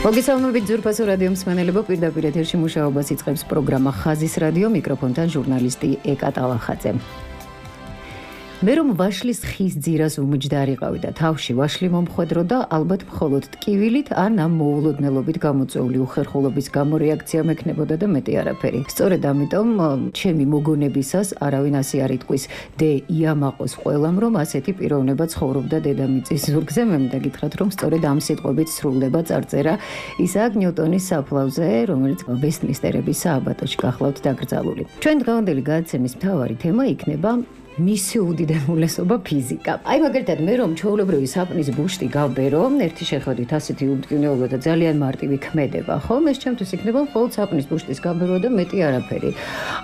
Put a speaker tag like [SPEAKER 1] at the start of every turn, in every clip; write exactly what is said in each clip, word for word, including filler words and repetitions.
[SPEAKER 1] მოგესალმებით ძვირფასო რადიო მსმენელებო, პირდაპირ ეთერში მუშაობას იწყებს პროგრამა ხაზის რადიო, მიკროფონთან ჟურნალისტი ეკა ტალახაძე. მე რომ ვაშლის ხის ძირას უმჯდარიყავი და თავში ვაშლი მომხვედრო და ალბათ მხოლოდ ტკივილით ან ამ მოულოდნელობით გამოწვეული უხერხულობის გამო რეაქცია მექნებოდა და მეტი არაფერი. სწორედ ამიტომ ჩემი მოგონებისას არავინ ასე არ იტყვის დე იამაყოს ყველამ, რომ ასეთი პიროვნება ცხოვრობდა დედამიწის ზურგზე. მე მინდა გითხრათ, რომ სწორედ ამ სიტყვებით სრულდება წარწერა ისააკ ნიუტონის საფლავზე, რომელიც ვესტმინსტერების სააბატოში გახლავთ დაკრძალული. ჩვენ დღევანდელი გადაცემის მთავარი თემა იქნება მისი უდიდესობა ფიზიკა. აი მაგალითად მე რომ ჩვეულებრივი საპნის ბუშტი გავბერო, ერთი შეხედვით ასეთი უმტკივნეობა და ძალიან მარტივი ქმედება, ხო? ეს ჩემთვის იქნება მხოლოდ საპნის ბუშტის გავბერვა და მეტი არაფერი.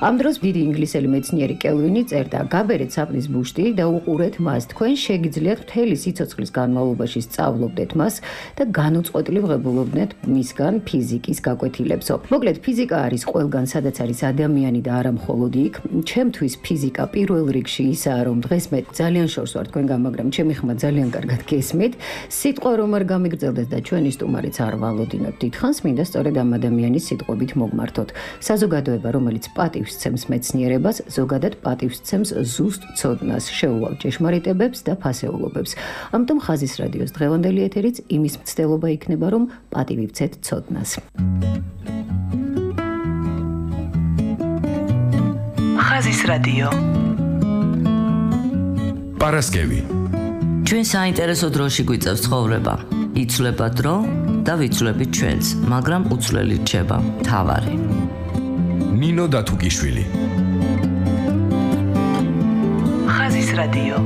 [SPEAKER 1] ამ დროს დიდი ინგლისელი მეცნიერი კელვინი წერდა: "გაბერეთ საპნის ბუშტი და უყურეთ მას. თქვენ შეგიძლიათ მთელი სიცოცხლის განმავლობაში სწავლობდეთ მას და განუწყვეტლივ ღებულობდეთ მისგან ფიზიკის გაკვეთილებსო." მოკლედ, ფიზიკა არის ყველგან, სადაც არის ადამიანი და არა მხოლოდ იქ. ჩემთვის ფიზიკა პირველ რიგში ისაა, რომ დღეს მე ძალიან შორს ვარ თქვენგან, მაგრამ ჩემი ხმა ძალიან კარგად გესმით. სიტყვა რომ არ გამიგრძელდეს და ჩვენი სტუმარიც არ ვალოდინოთ დიდხანს, მინდა სწორედ ამ ადამიანის სიტყვებით მოგმართოთ. საზოგადოება, რომელიც პატივს სცემს მეცნიერებას, ზოგადად პატივს სცემს ზუსტ ცოდნას, შეუვალ ჭეშმარიტებებს და ფასეულობებს. ამიტომ ხაზის რადიოს დღევანდელი ეთერიც იმის მცდელობა იქნება, რომ პატივი ვცეთ ცოდნას.
[SPEAKER 2] ხაზის რადიო
[SPEAKER 3] პარასკევი.
[SPEAKER 4] ჩვენ საინტერესო დროში გვიწევს ცხოვრება. იცვლება დრო და ვიცვლებით ჩვენც, მაგრამ უცვლელი რჩება მთავარი.
[SPEAKER 3] ნინო დათუკიშვილი.
[SPEAKER 2] ხაზის რადიო.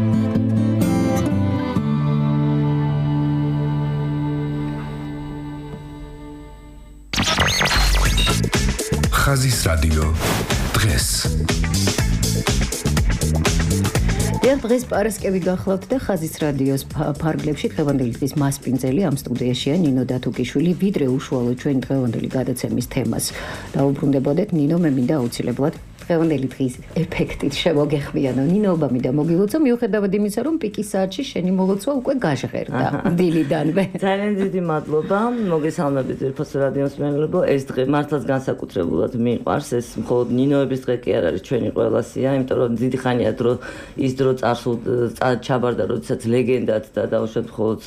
[SPEAKER 3] ხაზის რადიო დღეს.
[SPEAKER 1] დღეს პარასკევი გახლავთ და ხაზის რადიოს ფარგლებში დღევანდელი დღის მასპინძელი ამ სტუდიაშია ნინო დათუკიშვილი. ვიდრე უშუალოდ ჩვენი დღევანდელი გადაცემის თემას დაუბრუნდებოდეთ, ნინო, მე მინდა აუცილებლად დღევანდელი დღის ეფექტით შემოგეხმიანო. ნინოობა მინდა მოგილოცო, მიუხედავად იმისა, რომ პიკის საათში შენი მოლოცვა უკვე გაჟღერდა დილიდანვე.
[SPEAKER 4] ძალიან დიდი მადლობა, მოგესალმებით ძვირფასო რადიო მსმენელებო. ეს დღე მართლაც განსაკუთრებულად მიყვარს. ეს მხოლოდ ნინოების დღე კი არ არის ჩვენი ყველასია, იმიტომ რომ დიდი ხანია დრო ის დრო წარსულ ჩაბარდა, როდესაც ლეგენდად და დაუშვათ მხოლოდ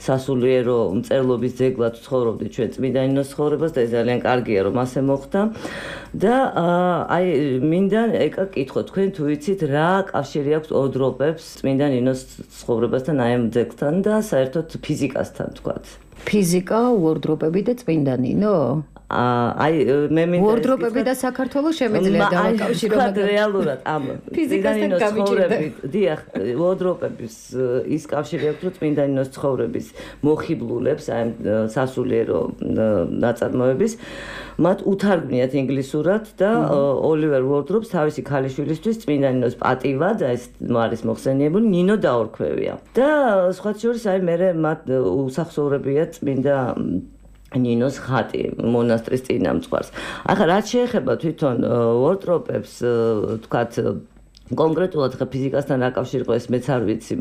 [SPEAKER 4] სასულიერო მწერლობის ძეგლად ცხოვრობდი ჩვენ წმინდა ნინოს ცხოვრებას და ეს ძალიან კარგია, რომ ასე მოხდა. და აი მინდა ეკა კითხო, თქვენ თუ იცით რა კავშირი აქვს ოდროპებს წმინდა ნინოს ცხოვრებასთან, აი ამ ძეგლთან და საერთოდ ფიზიკასთან თქვათ?
[SPEAKER 1] ფიზიკა, უორდროპები და წმინდა ნინო?
[SPEAKER 4] აი მე მინდა
[SPEAKER 1] უორდროპები და საქართველოს შემეძლია დავაკავშირო,
[SPEAKER 4] მაგრამ რეალურად ამ
[SPEAKER 1] ფიზიკასთან გამიჭირდებით.
[SPEAKER 4] დიახ, უორდროპების ის კავშირი აქვს, რომ წმინდა ნინოს ცხოვრების მოხიბლულებს, აი სასულიერო ნაწარმოების მათ უთარგმნიათ ინგლისურად და ოლივერ უორდროპს თავისი ქალიშვილისთვის წმინდა ნინოს პატივად, ეს არის მოხსენიებული, ნინო დაორქვევია. და სხვა შორის აი მე მათ უსახსოვრებია წმინდა ნინოს ხატი მონასტრის წინამძღვარს. ახლა რაც შეეხება თვითონ უორდროპებს, თქვათ კონკრეტულად ხა ფიზიკასთან რა კავშირი ყო ეს მეც არ ვიცი,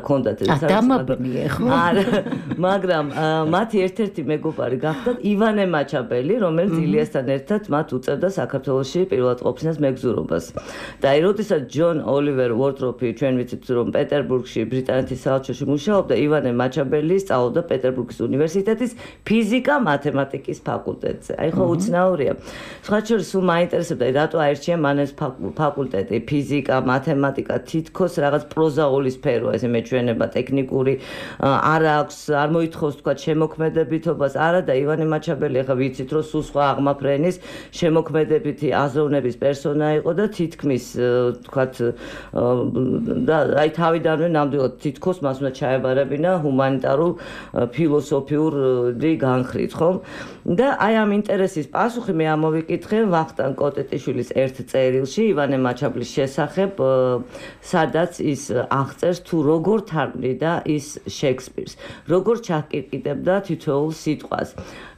[SPEAKER 4] ქონდათ ეს
[SPEAKER 1] დამაბნიე ხო?
[SPEAKER 4] არა, მაგრამ მათი ერთ-ერთი მეგობარი გახდათ ივანე მაჩაბელი, რომელიც ილიასთან ერთად მათ უწევდა საქართველოში პირველად ყოფნას მეგზურობას. და აი როდესაც ჯონ ოლივერ უორდროპი, ჩვენ ვიცით რომ პეტერბურგში ბრიტანეთის საელჩოში მუშაობდა, ივანე მაჩაბელი სწავლობდა პეტერბურგის უნივერსიტეტის ფიზიკა-მათემატიკის ფაკულტეტზე. აი ხო უცნაურია. სხვა შორის სულ მაინტერესებდა, რატო აირჩია მან ეს ფაკულტეტი, ფიზიკა, მათემატიკა, თითქოს რაღაც პროზაული სფეროა, ესე მეჩვენება ტექნიკური არ აქვს, არ მოითხოვს თქვა შემოქმედებითობას, არა და ივანე მაჩაბელი ახლა ვიცით რომ სულ სხვა აღმაფრენის შემოქმედებითი აზროვნების პერსონა იყო და თითქმის თქვა და აი თავიდანვე ნამდვილად თითქოს მას უნდა ჩაებარებინა ჰუმანიტარულ ფილოსოფიური განხრით, ხო? და აი ამ ინტერესის პასუხი მე ამოვიკითხე ვახტანგ კოტეტიშვილის ერთ წერილში ივანე მაჩაბლის შესახებ ვიუღებ, სადაც ის აღწერს თუ როგორ თარგმნიდა ის შექსპირს, როგორ ჩაკირკიტებდა თითოეულ სიტყვას.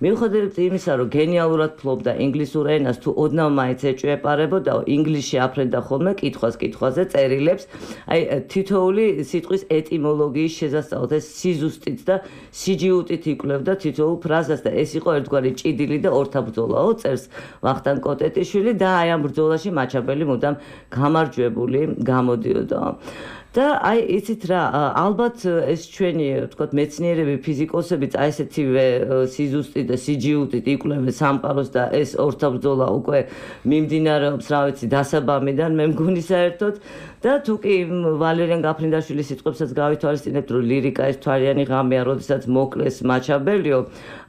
[SPEAKER 4] მიუხედავად იმისა, რომ გენიალურად ფლობდა ინგლისურ ენას, თუ ოდნავ მაინც ეჭვეპარებოდა, ინგლისში აფრენდა ხოლმე კითხვას კითხვაზე წერილებს, აი თითოეული სიტყვის ეტიმოლოგიის შესასწავლად ეს სიზუსტით და სიჯიუტით იკვლევდა თითოეულ ფრაზას და ეს იყო ერთგვარი ჭიდილი და ორთაბრძოლაო, წერს ვახტანგ კოტეტიშვილი და აი ამ ბრძოლაში მაჩაბელი მუდამ გამარჯვებული გამოდიოდა. და აი იცით რა, ალბათ ეს ჩვენი ვთქვათ მეცნიერები, ფიზიკოსებიც აი ესეთივე სიზუსტით და სიჯიუტით იკვლევენ სამყაროს და ეს ორთაბრძოლა უკვე მიმდინარეობს, რა ვიცი, დასაბამიდან მე მგონი საერთოდ და თუ კი ვალერიან გაფრინდაშვილის სიტყვებსაც გავითვალისწინებთ, რომ ლირიკა ეს თვარიანი ღამეა, როდესაც მოკლეს მაჩაბელიო,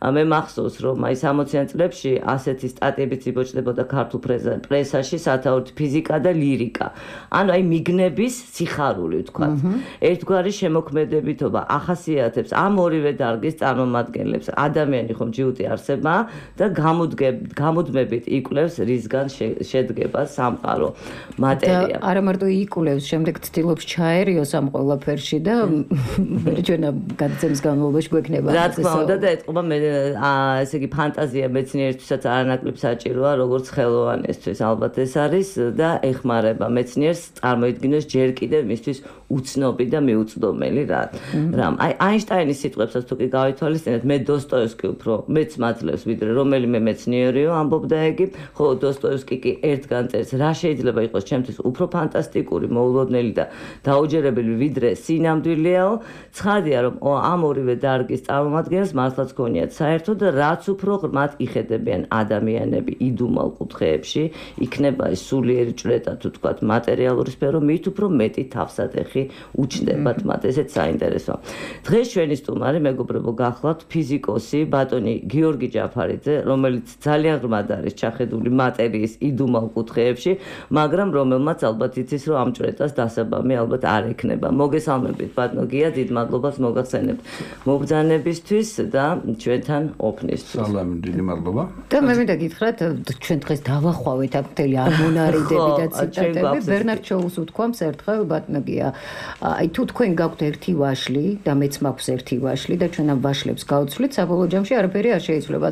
[SPEAKER 4] მე მახსოვს, რომ აი სამოციან წლებში ასეთი სტატიებიც იბოჭდებოდა ქართულ პრესაში, სათაურით ფიზიკა და ლირიკა. ანუ აი მიგნების სიხარული ვთქვათ. ერთგვარი შემოქმედებითობა ახასიათებს ამ ორივე დარგის წარმომადგენლებს. ადამიანი ხომ ჯიუტი არსება და გამუდმებით იკვლევს რისგან შედგება სამყარო მატერია.
[SPEAKER 1] და არა მარტო იკვლევს, შემდეგ ცდილობს ჩაერიოს ამ ყველაფერში და ჩვენა გადაცემის განმავლობაში გვექნება.
[SPEAKER 4] რა თქმა უნდა და ეთყობა მე ესე იგი ფანტაზია მეცნიერისთვისაც არანაკლებ საჭიროა, როგორც ხელოვანისთვის ალბათ ეს არის და ეხმარება მეცნიერს წარმოიდგინოს ჯერ კიდევ მისთვის უცნობი და მიუწვდომელი რა. რამ აი აინშტაინის სიტყვებსაც თუ კი გავითვალისწინებთ, მე დოსტოევსკი უფრო მეც მაძლევს ვიდრე რომელიმე მეცნიერიო ამბობდა ეგი, ხო დოსტოევსკი კი ერთგან წერს, რა შეიძლება იყოს ჩემთვის უფრო ფანტასტიკური, მოულოდნელი და დაუჯერებელი ვიდრე სინამდვილეაო. ცხადია რომ ამ ორივე დარგის წარმომადგენლებს მართლაც გონიათ საერთოდ რაც უფრო ღრმად იხედებიან ადამიანები იდუმალ კუთხეებში, იქნება ეს სულიერი ჭრედა თუ თქვათ მატერიალური სფერო, მით უფრო მეტი თავსატეხი უჩნდებათ მათ, ესეც საინტერესოა. დღეს ჩვენი სტუმარი მეგობრებო გახლავთ ფიზიკოსი ბატონი გიორგი ჯაფარიძე, რომელიც ძალიან ღრმად არის ჩახედული მატერიის იდუმალ კუთხეებში, მაგრამ რომელმაც ალბათ იცის, რომ ამ ჭრედას დასაბამი ალბათ არ ექნება. მოგესალმებით ბატონო გია, დიდ მადლობას მოგახსენებთ მობრძანებისთვის და ჩვენთან ოფნისთვის.
[SPEAKER 5] სალამი, დიდი მადლობა.
[SPEAKER 1] და მე მინდა გითხრათ, ჩვენ დღეს დავახვავეთ აქ მთელი ამონარიდები და ციტატები. ბერნარდ შოუს უთქვამს ერთხელ ბატონო გია, აი თუ თქვენ გაქვთ ერთი ვაშლი და მეც მაქვს ერთი ვაშლი და ჩვენ ამ ვაშლებს გავცვლით, საბოლოო ჯამში არაფერი არ შეიძლება.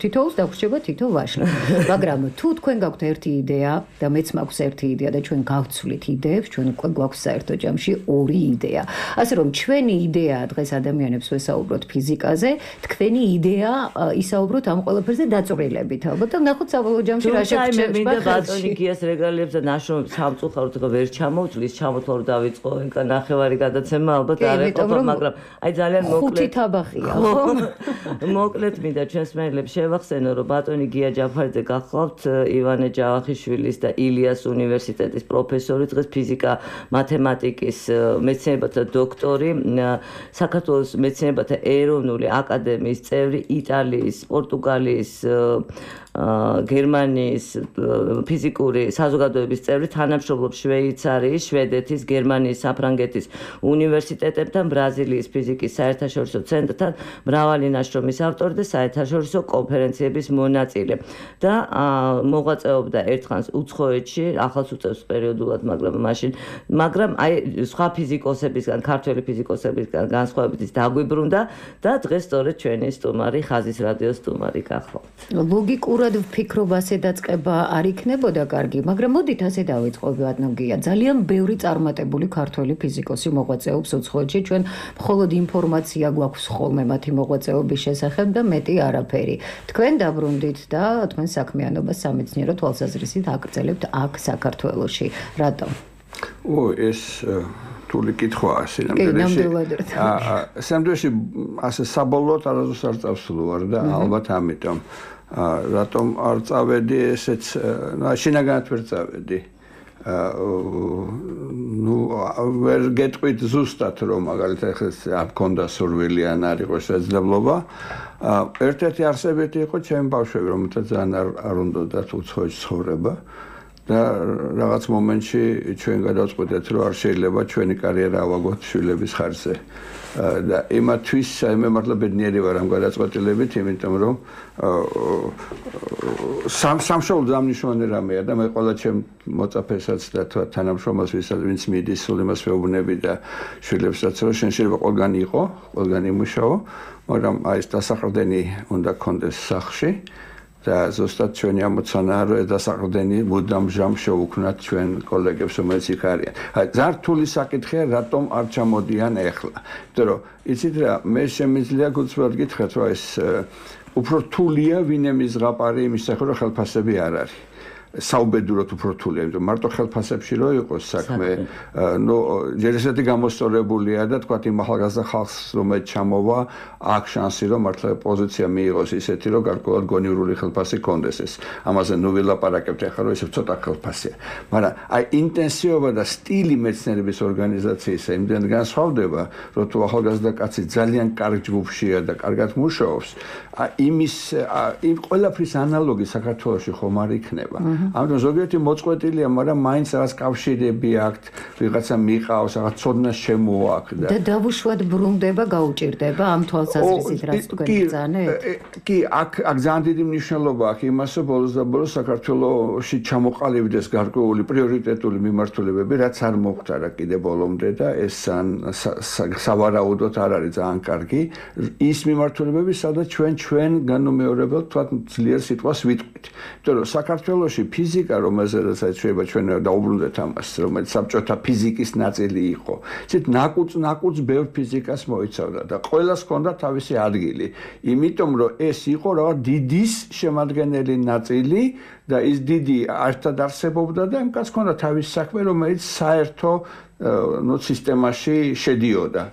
[SPEAKER 1] თითოეულს დაგვრჩება თითო ვაშლი. მაგრამ თუ თქვენ გაქვთ ერთი იდეა და მეც მაქვს ერთი იდეა და ჩვენ გავცვლით იდეებს, ჩვენ უკვე გვაქვს საერთო ჯამში ორი იდეა. ასე რომ ჩვენი იდეა დღეს ადამიანებს ვესაუბროთ ფიზიკაზე, თქვენი იდეა ისაუბროთ ამ ყველაფერზე დაწვრილებით. ალბათ და ნახოთ საბოლოო ჯამში რა შეგვჭირდება.
[SPEAKER 4] მე მინდა ბატონი გიას რეგალიებს და ნაშრომებს სამწუხაროდ ხო ვერ ჩამოვწლის, ჩამოთვალ რომ დავიწყო ეკა ნახევარი გადაცემა, ალბათ არ ეყოფა, მაგრამ აი ძალიან მოკლედ
[SPEAKER 1] ხუთი თაბახია, ხო?
[SPEAKER 4] მოკლედ მინდა ჩვენს მეგობრებს შევახსენო, რომ ბატონი გია ჯაფარიძე გახლავთ ივანე ჯავახიშვილის და ილიას უნივერსიტეტის პროფესორი, დღეს ფიზიკა მათემატიკის მეცნიერებათა დოქტორი, საქართველოს მეცნიერებათა ეროვნული აკადემიის წევრი, იტალიის, პორტუგალიის გერმანიის ფიზიკური საზოგადოების წევრი, თანამშრომლობს შვეიცარიის, შვედეთის, გერმანიის, საფრანგეთის უნივერსიტეტებთან, ბრაზილიის ფიზიკის საერთაშორისო ცენტრთან, მრავალი ნაშრომის ავტორი და საერთაშორისო კონფერენციების მონაწილე. და მოღვაწეობდა ერთხანს უცხოეთში, ახალს უწევს პერიოდულად, მაგრამ მაშინ, მაგრამ აი სხვა ფიზიკოსებისგან, ქართველი ფიზიკოსებისგან განსხვავებით ის დაგვიბრუნდა და დღეს სწორედ ჩვენი სტუმარი, ხაზის რადიოს სტუმარი გახლავთ.
[SPEAKER 1] ლოგიკურად ვფიქრობ ასე დაწყება არ იქნებოდა კარგი, მაგრამ მოდით ასე დავიწყოთ ბატონო გია. ძალიან ბევრი წარმატებული ქართველი ფიზიკოსი მოღვაწეობს უცხოეთში, ჩვენ მხოლოდ ინფორმაცია გვაქვს ხოლმე მათი მოღვაწეობის შესახებ და მეტი არაფერი. თქვენ დაბრუნდით და თქვენ საქმიანობას სამეცნიერო თვალსაზრისით აგრძელებთ აქ საქართველოში. რატომ?
[SPEAKER 5] ო, ეს რთული კითხვაა სინამდვილეში. სინამდვილეში ასე საბოლოოდ არასდროს არ წავსულვარ და ალბათ ამიტომ რატომ არ წავედი ესეც, შინაგანად ვერ წავედი. ну ვერ გეტყვით ზუსტად რომ მაგალითად ამ კონდა სურვილი ან არ იყო შესაძლებლობა. ერთ-ერთი არსებითი იყო ჩემი ბავშვები, რომელთაც ძალიან არ უნდათ უცხოეთში ცხოვრება და რაღაც მომენტში ჩვენ გადავწყვეტეთ, რომ არ შეიძლება ჩვენი კარიერა ავაგოთ შვილების ხარჯზე. და იმათვის მე მართლა ბედნიერი ვარ ამ გადაწყვეტილებით, იმიტომ რომ სამ სამშობლო დამნიშნული რამეა და მე ყველა ჩემ მოწაფესაც და თანამშრომელს ვინც მიდის სულ იმას ვეუბნები და შვილებსაც რომ შენ შეიძლება ყველგან იყო, ყველგან იმუშაო, მაგრამ აი ეს დასაყრდენი უნდა გქონდეს სახლში და ზუსტად ჩვენი ამოცანაა რომ ეს დასაყრდენი მუდამ ჟამ შეუქმნათ ჩვენ კოლეგებს რომელიც იქ არიან. აი ზართული საკითხია რატომ არ ჩამოდიან ეხლა. იმიტომ რომ იცით რა მე შემიძლია გულწრფელად გითხრათ რომ ეს უფრო რთულია ვინემის ზღაპარი იმის სახე რომ ხელფასები არ არის. საუბედუროთ უფრო რთულია, იმიტომ მარტო ხელფასებში რო იყოს საქმე, ნუ ჯერ ესეთი გამოსწორებულია და თქვა იმ ახალგაზრდა ხალხს რომელიც ჩამოვა, აქ შანსი რომ მართლა პოზიცია მიიღოს ისეთი რომ გარკვეულად გონივრული ხელფასი კონდეს ეს. ამაზე ნუ ვილაპარაკებთ ახლა რომ ესე ცოტა ხელფასია. მაგრამ აი ინტენსივობა და სტილი მეცნიერების ორგანიზაციისა იმდენ განსხვავდება, რომ თუ ახალგაზრდა კაცი ძალიან კარგ ჯგუფშია და კარგად მუშაობს, იმის იმ ყველაფრის ანალოგი საქართველოში ხომ არ იქნება. ამიტომ ზოგიერთი მოწყვეტილია, მაგრამ მაინც რაღაც კავშირები აქვთ, ვიღაცა მიყავს, რაღაც ცოდნას შემოაქვს
[SPEAKER 1] და დავუშვათ ბრუნდება, გაუჭირდება ამ თვალსაზრისით, რაც თქვენ ბრძანეთ?
[SPEAKER 5] კი, აქ აქ ძალიან დიდი მნიშვნელობა აქვს იმას, რომ ბოლოს და ბოლოს საქართველოში ჩამოყალიბდეს გარკვეული პრიორიტეტული მიმართულებები, რაც არ მოხდა რა კიდე ბოლომდე და ეს სავარაუდოდ არ არის ძალიან კარგი. ის მიმართულებები, სადაც ჩვენ ჩვენ განუმეორებელ თქვათ ძლიერ სიტყვას ვიტყვით. იმიტომ რომ საქართველოში ფიზიკა, რომელზეც შეიძლება ჩვენ დაუბრუნდეთ ამას, რომელიც საბჭოთა ფიზიკის ნაწილი იყო. ისეთ ნაკუწ ნაკუწ ბევრ ფიზიკას მოიცავდა და ყველას ჰქონდა თავისი ადგილი. იმიტომ რომ ეს იყო რაღაც დიდის შემადგენელი ნაწილი და ის დიდი ერთად არსებობდა და იმ კაც ჰქონდა თავისი საქმე, რომელიც საერთო ნუ სისტემაში შედიოდა.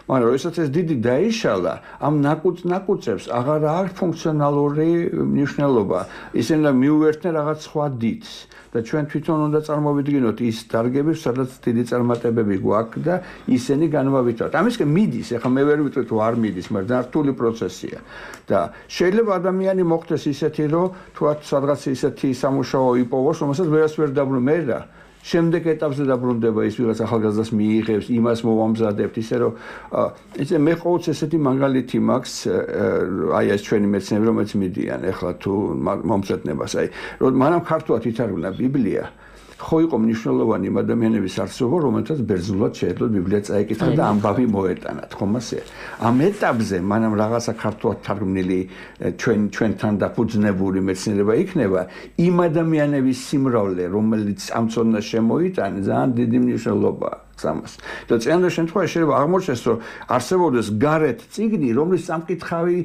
[SPEAKER 5] მაგრამ როდესაც ეს დიდი დაიშალა, ამ ნაკუწ ნაკუწებს აღარ აქვს ფუნქციონალური მნიშვნელობა. ისინი მიუერთდნენ რაღაც სხვა დიდს და ჩვენ თვითონ უნდა წარმოვიდგინოთ ის დარგები, სადაც დიდი წარმატებები გვაქვს და ისინი განვავითაროთ. ამისკენ მიდის, ეხლა მე ვერ ვიტყვი თუ არ მიდის, მაგრამ რთული პროცესია. და შეიძლება ადამიანი მოხდეს ისეთი, რომ თუათ სადღაც ისეთი სამუშაო იპოვოს, რომელსაც ვერას ვერ დაბრუნდება მე რა. შემდეგ ეტაპზე დაბრუნდება ის ვიღაც ახალგაზრდას მიიღებს, იმას მოვამზადებთ, ისე რომ ესე მე ყოველთვის ესეთი მაგალითი მაქვს, აი ეს ჩვენი მეცნიერები რომელიც მიდიან ეხლა თუ მომწეთნებას, აი რომ მანამ ქართულად ითარგმნა ბიბლია, ხო იყო მნიშვნელოვანი იმ ადამიანების არსებობა, რომელთაც ბერძნულად შეეძლოთ ბიბლია წაეკითხა და ამბავი მოეტანათ, ხომ ასე? ამ ეტაპზე მანამ რაღაცა ქართულად თარგმნილი ჩვენ ჩვენთან დაფუძნებული მეცნიერება იქნება, იმ ადამიანების სიმრავლე, რომელიც ამ ცოდნას შემოიტანეს, ძალიან დიდი მნიშვნელობა აქვს ამას. და წინანდელ შემთხვევაში შეიძლება აღმოჩნდეს, რომ არსებობდეს გარეთ წიგნი, რომლის სამკითხავი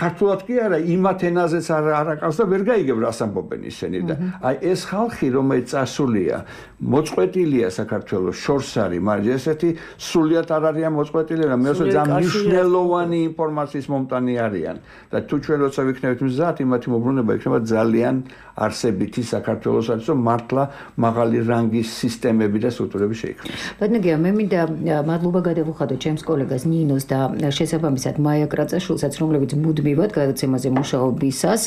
[SPEAKER 5] ქართულად კი არა, იმათ ენაზეც არ არაკავს და ვერ გაიგებ რას ამბობენ ისინი და აი ეს ხალხი რომელიც წასულია, მოწყვეტილია საქართველოს შორს არის, მაგრამ ესეთი სულიად არ არიან მოწყვეტილი, რა მე ძალიან მნიშვნელოვანი ინფორმაციის მომტანი არიან და თუ ჩვენ როცა ვიქნებით მზად, იმათი მოbrunება იქნება ძალიან არსებითი საქართველოსაც, რომ მართლა მაღალი რანგის სისტემები და სტრუქტურები შეიქმნას.
[SPEAKER 1] ბატონო, მე მინდა მადლობა გადავუხადო ჩემს კოლეგას ნინოს და შესაბამისად მაია კრაწაშვილსაც, რომლებიც მუდმივად გადაცემაზე მუშაობისას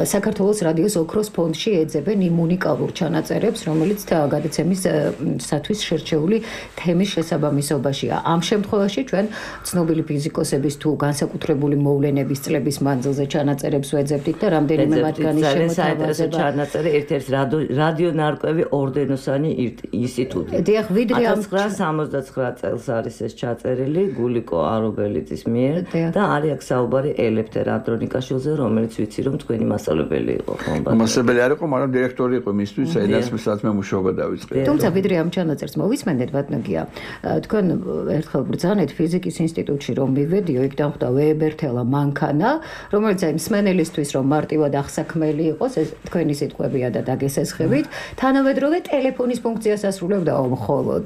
[SPEAKER 1] საქართველოს რადიოს ოქროს ფონდში ეძებენ იმ უნიკალურ ჩანაწერებს, რომელიც გადაცემისათვის შერჩეული თემის შესაბამისობაშია. ამ შემთხვევაში ჩვენ ცნობილი ფიზიკოსების თუ განსაკუთრებული მოვლენების წლების მანძილზე ჩანაწერებს ვეძებდით და რამდენიმე მათგანის შემოთავაზება
[SPEAKER 4] ჩანაწერი ერთ-ერთ რადიო ნარკვევი ორდენოსანი ინსტიტუტი.
[SPEAKER 1] დიახ, ვიდრე ამ
[SPEAKER 4] ათას ცხრაასა სამოცდაცხრა წელს არის ეს ჩაწერილი გულიკო არობელიძის მიერ და არის აქ საუბარი ელეფთერ ანდრონიკაშვილზე, რომელიც ვიცი რომ თქვენი მასწავლებელი იყო, ხო?
[SPEAKER 5] მასწავლებელი არ იყო, მაგრამ დირექტორი იყო მისთვის, საიდანაც მე მუშაობა დავიწყე.
[SPEAKER 1] თუმცა ვიდრე ამ ჩანაწერს მოვისმენდეთ, ბატონია, თქვენ ერთხელ ბრძანეთ ფიზიკის ინსტიტუტში რომ მივედიო, იქ დამხვდა ვეებერთელა მანქანა, რომელიც აი მსმენელისთვის რომ მარტივად აღსაქმელი იყოს, ეს თქვენი სიტყვებია და დაგესესხებით, თანამედროვე ტელეფონის ფუნქციას ასრულებდა მხოლოდ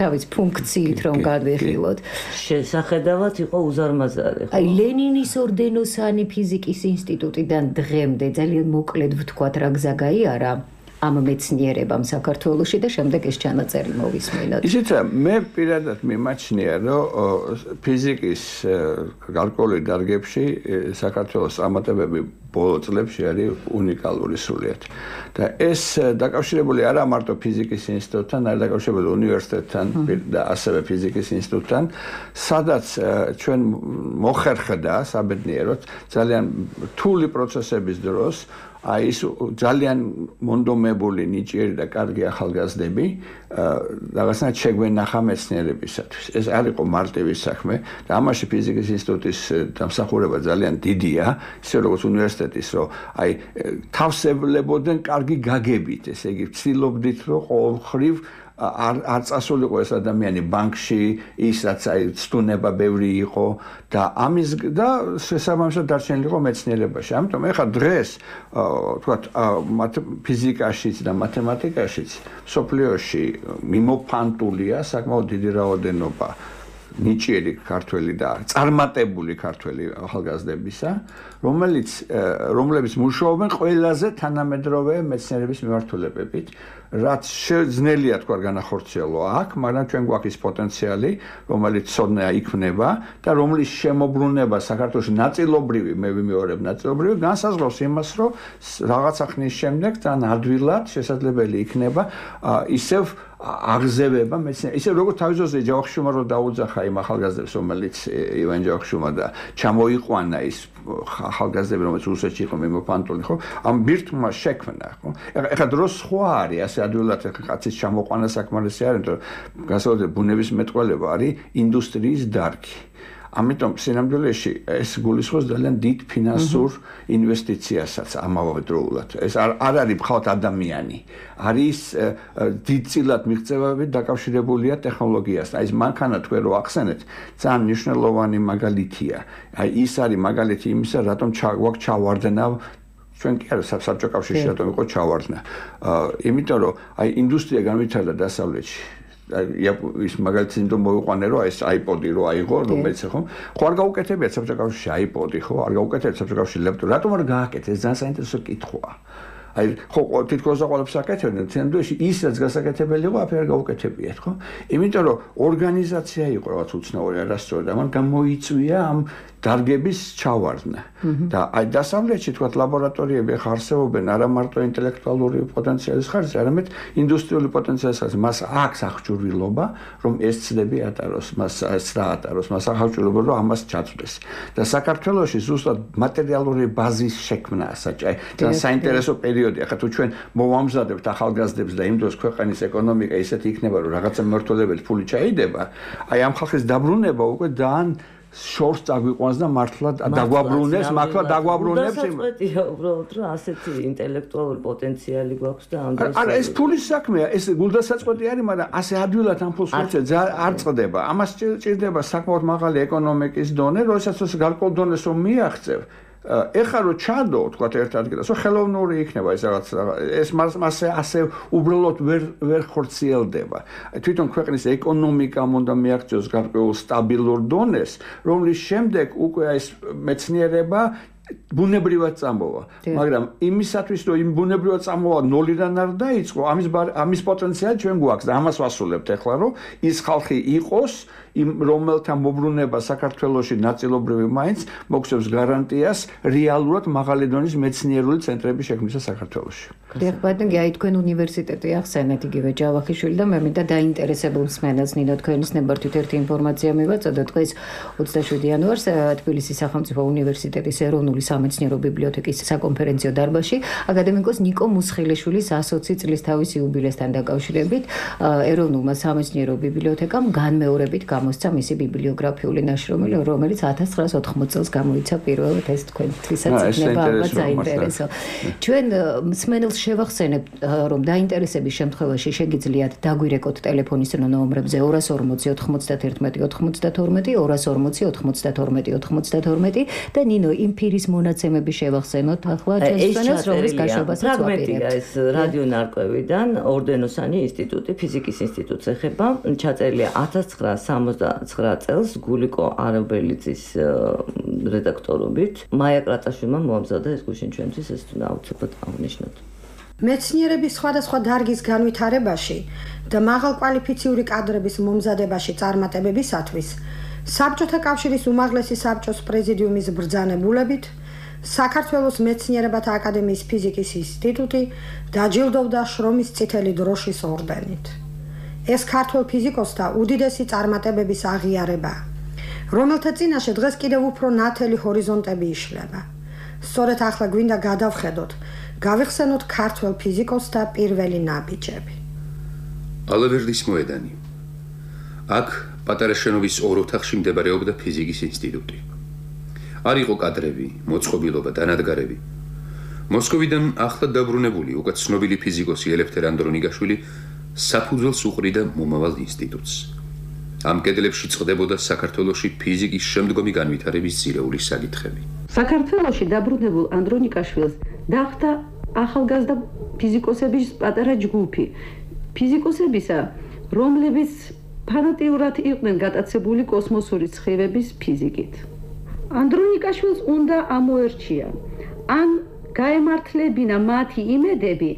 [SPEAKER 1] თავის ფუნქციით რომ გადვიხილოთ.
[SPEAKER 4] შესახედავად იყო უზარმაზარი.
[SPEAKER 1] აი ლენინის ორდენოსანი ფიზიკის ინსტიტუტიდან დღემდე ძალიან მოკლედ ვთქვათ რა გზა გაიარა ამ მეცნიერებამ საქართველოში და შემდეგ ეს ჩანაწერი მოვისმინოთ.
[SPEAKER 5] ისიც მე პირადად მიმაჩნია, რომ ფიზიკის გარკვეული დარგებში საქართველოს წარმატებები ბოლო წლებში არის უნიკალური სრულიად. და ეს დაკავშირებული არა მარტო ფიზიკის ინსტიტუტთან, არამედ დაკავშირებული უნივერსიტეტთან და ასევე ფიზიკის ინსტიტუტთან, სადაც ჩვენ მოხერხდა საბედნიეროდ ძალიან რთული პროცესების დროს აი ის ძალიან მონდომებული ნიჭიერი და კარგი ახალგაზრდები რაღაცნაირად შეგვენახა მეცნიერებისათვის. ეს არ იყო მარტივი საქმე და ამაში ფიზიკის ინსტიტუტის დამსახურება ძალიან დიდია, ისე როგორც უნივერსიტეტის, რომ აი თავსებლებოდნენ კარგი გაგებით, ესე იგი ვცდილობდით, რომ ყოველხრივ არ არ წასულიყო ეს ადამიანი ბანკში, ისაც აი სტუნება ბევრი იყო და ამის და შესაბამისად დარჩენილიყო მეცნიერებაში. ამიტომ ეხლა დღეს თქვათ ფიზიკაშიც და მათემატიკაშიც სოფლიოში მიმოფანტულია საკმაოდ დიდი რაოდენობა ნიჭიერი ქართველი და წარმატებული ქართველი ახალგაზრდებისა, რომელიც რომლებიც მუშაობენ ყველაზე თანამედროვე მეცნიერების მიმართულებებით, რაც შეძნელია თქვა განახორციელო აქ, მაგრამ ჩვენ გვაქვს ის პოტენციალი, რომელიც ცოდნა იქმნება და რომლის შემოbrunება საქართველოში ნაწილობრივი, მე ვიმეორებ ნაწილობრივი, განსაზღვრავს იმას, რომ რაღაცა ხნის შემდეგ თან ადვილად შესაძლებელი იქნება ისევ აღზევება მეცნიერებისა. ისე როგორც თავისუფლად ჯავახიშვილმა რო დაუძახა იმ ახალგაზრდებს, რომელიც ივან ჯავახიშვილმა და ჩამოიყვანა ის ახალგაზრდები, რომელიც რუსეთში იყო მიმოფანტული, ხო? ამ ბირთვმა შექმნა, ხო? ეხლა დროს სხვა არის, ასე ადვილად კაცის ჩამოყვანა საკმარისი არ არის, იმიტომ გასაოცარი ბუნების მეტყველება არის ინდუსტრიის დარგი. ამიტომ სინამდვილეში ეს გულისხმობს ძალიან დიდ ფინანსურ ინვესტიციასაც ამავდროულად. ეს არ არ არის მხოლოდ ადამიანი. არის დიდწილად მიღწევებით დაკავშირებულია ტექნოლოგიასთან. აი ეს მანქანა თქვენ რო ახსენეთ, ძალიან მნიშვნელოვანი მაგალითია. აი ის არის მაგალითი იმისა, რატომ გვაქვს ჩავარდნა ჩვენ კი არა საბჭოთა კავშირში რატომ იყო ჩავარდნა. იმიტომ რომ აი ინდუსტრია განვითარდა დასავლეთში. ის მაგალითად იმიტომ მოვიყვანე რომ ეს iPod-ი რო აიღო რომელიც ხო ხო არ გაუკეთებიათ საბჭოთა კავშირში iPod-ი ხო არ გაუკეთებიათ საბჭოთა კავშირში ლეპტოპი რატომ არ გააკეთეს ეს ძალიან საინტერესო კითხვაა აი ხო თითქოს აყოლებს აკეთებდნენ თემდუში ისაც გასაკეთებელი იყო აფერ გაუკეთებიათ ხო იმიტომ რომ ორგანიზაცია იყო რაღაც უცნაური არასწორად ამან გამოიწვია ამ დარგების ჩავარდნა და აი დასავლეთში თქვა ლაბორატორიები ახ არსებობენ არა მარტო ინტელექტუალური პოტენციალის ხარჯზე არამედ ინდუსტრიული პოტენციალის ხარჯზე მას აქვს აღჭურვილობა რომ ეს ცდები ატაროს მას ეს რა ატაროს მას აღჭურვილობა რომ ამას ჩაწვდეს და საქართველოში ზუსტად მატერიალური ბაზის შექმნაა საჭირო და საინტერესო პერიოდი ახლა თუ ჩვენ მოვამზადებთ ახალგაზრდებს და იმ დროს ქვეყნის ეკონომიკა ისეთი იქნება რომ რაღაცა მმართველობელი ფული ჩაიდება აი ამ ხალხის დაბრუნება უკვე ძალიან შორს წაგვიყვანს და მართლა დაგვაბრუნებს, მართლა დაგვაბრუნებს იმ
[SPEAKER 4] დასაწყეთია უბრალოდ რომ ასეთი ინტელექტუალური პოტენციალი გვაქვს და ამ დროს
[SPEAKER 5] არა ეს ფულის საქმეა, ეს გულდასაწყვეტი არის, მაგრამ ასე ადვილად ამ ფულს მოწე არ წდება. ამას ჭირდება საკმაოდ მაღალი ეკონომიკის დონე, როდესაც ეს გარკვეულ დონეს რომ მიაღწევ ეხლა რო ჩადო, თქვა ერთ ადგილას, რომ ხელოვნური იქნება ეს რაღაც ეს მასე ასე უბრალოდ ვერ ვერ ხორციელდება. თვითონ ქვეყნის ეკონომიკამ უნდა მიაღწიოს გარკვეულ სტაბილურ დონეს, რომლის შემდეგ უკვე ეს მეცნიერება ბუნებრივად წამოვა, მაგრამ იმისათვის რომ იმ ბუნებრივად წამოვა ნოლიდან არ დაიწყო, ამის ამის პოტენციალი ჩვენ გვაქვს და ამას ვასრულებთ ეხლა რომ ის ხალხი იყოს იმ რომელთა მოbrunება საქართველოში ნაწილობრივი მაინც მოგცევს გარანტიას რეალურად მაღალი დონის მეცნიერული ცენტრების შექმნისა საქართველოში.
[SPEAKER 1] დიახ, ბატონო, აი თქვენ უნივერსიტეტი ახსენეთ იგივე ჯავახიშვილი და მე მინდა დაინტერესებულ მსმენელს ნინო თქვენის ნებართვით ერთი ინფორმაცია მივაწოდო დღეს ოცდაშვიდი იანვარს თბილისის სახელმწიფო უნივერსიტეტის ეროვნული სამეცნიერო ბიბლიოთეკის საკონფერენციო დარბაზში აკადემიკოს ნიკო მუსხილიშვილის ასოცი წლის თავის იუბილესთან დაკავშირებით ეროვნულმა სამეცნიერო ბიბლიოთეკამ განმეორებით მოსცა მისი ბიბლიოგრაფიული ნაშრომი, რომელიც ათას ცხრაას ოთხმოცი წელს გამოიცა პირველად ეს თქვენთვისაც იქნება ალბათ საინტერესო. ჩვენ მსმენელს შევახსენებთ, რომ დაინტერესების შემთხვევაში შეგიძლიათ დაგვირეკოთ ტელეფონის ნომრებზე ორას ორმოცი ოთხმოცდაერთმეტი ოცდათორმეტი, ორას ორმოცი ოთხმოცდათორმეტი ოცდათორმეტი და ნინო იმ ფირის მონაცემები შევახსენოთ ახლა ჩვენს მსმენელს, რომლის გაშვებასაც ვაპირებთ.
[SPEAKER 4] ეს რადიო ნარკვევიდან ორდენოსანი ინსტიტუტი, ფიზიკის ინსტიტუტს ეხება, ჩაწერილია ათას ცხრაასამოცდაცხრა წელს გულიკო არაბელიძის რედაქტორობით. მაია კრატაშვილმა მოამზადა ეს გუშინ ჩვენთვის ეს თუნდა აუცილებლად აღნიშნოთ.
[SPEAKER 6] მეცნიერების სხვადასხვა დარგის განვითარებაში და მაღალკვალიფიციური კადრების მომზადებაში წარმატებებისათვის საბჭოთა კავშირის უმაღლესი საბჭოს პრეზიდიუმის ბრძანებულებით საქართველოს მეცნიერებათა აკადემიის ფიზიკის ინსტიტუტი დაჯილდოვდა შრომის წითელი დროშის ორდენით. ეს ქართველ ფიზიკოსთა უდიდესი წარმატებების აღიარებაა, რომელთა წინაშე დღეს კიდევ უფრო ნათელი ჰორიზონტები იშლება. სწორედ ახლა გვინდა გადავხედოთ, გავიხსენოთ ქართველ ფიზიკოსთა პირველი ნაბიჯები.
[SPEAKER 7] ალავერდის მოედანი. აქ პატარა შენობის ორ ოთახში მდებარეობდა ფიზიკის ინსტიტუტი. არ იყო კადრები, მოწყობილობა, დანადგარები. მოსკოვიდან ახლად დაბრუნებული უკვე ცნობილი ფიზიკოსი ელეფთერ ანდრონიკაშვილი საფუძველს უყრიდა მომავალ ინსტიტუტს. ამ კედლებში წყდებოდა საქართველოში ფიზიკის შემდგომი განვითარების ძირეული საკითხები.
[SPEAKER 8] საქართველოში დაბრუნებულ ანდრონიკაშვილს დახვდა ახალგაზრდა ფიზიკოსების პატარა ჯგუფი. ფიზიკოსებისა, რომლებიც ფანატიურად იყვნენ გატაცებული კოსმოსური სხივების ფიზიკით. ანდრონიკაშვილს უნდა ამოერჩია, ან გაემართლებინა მათი იმედები,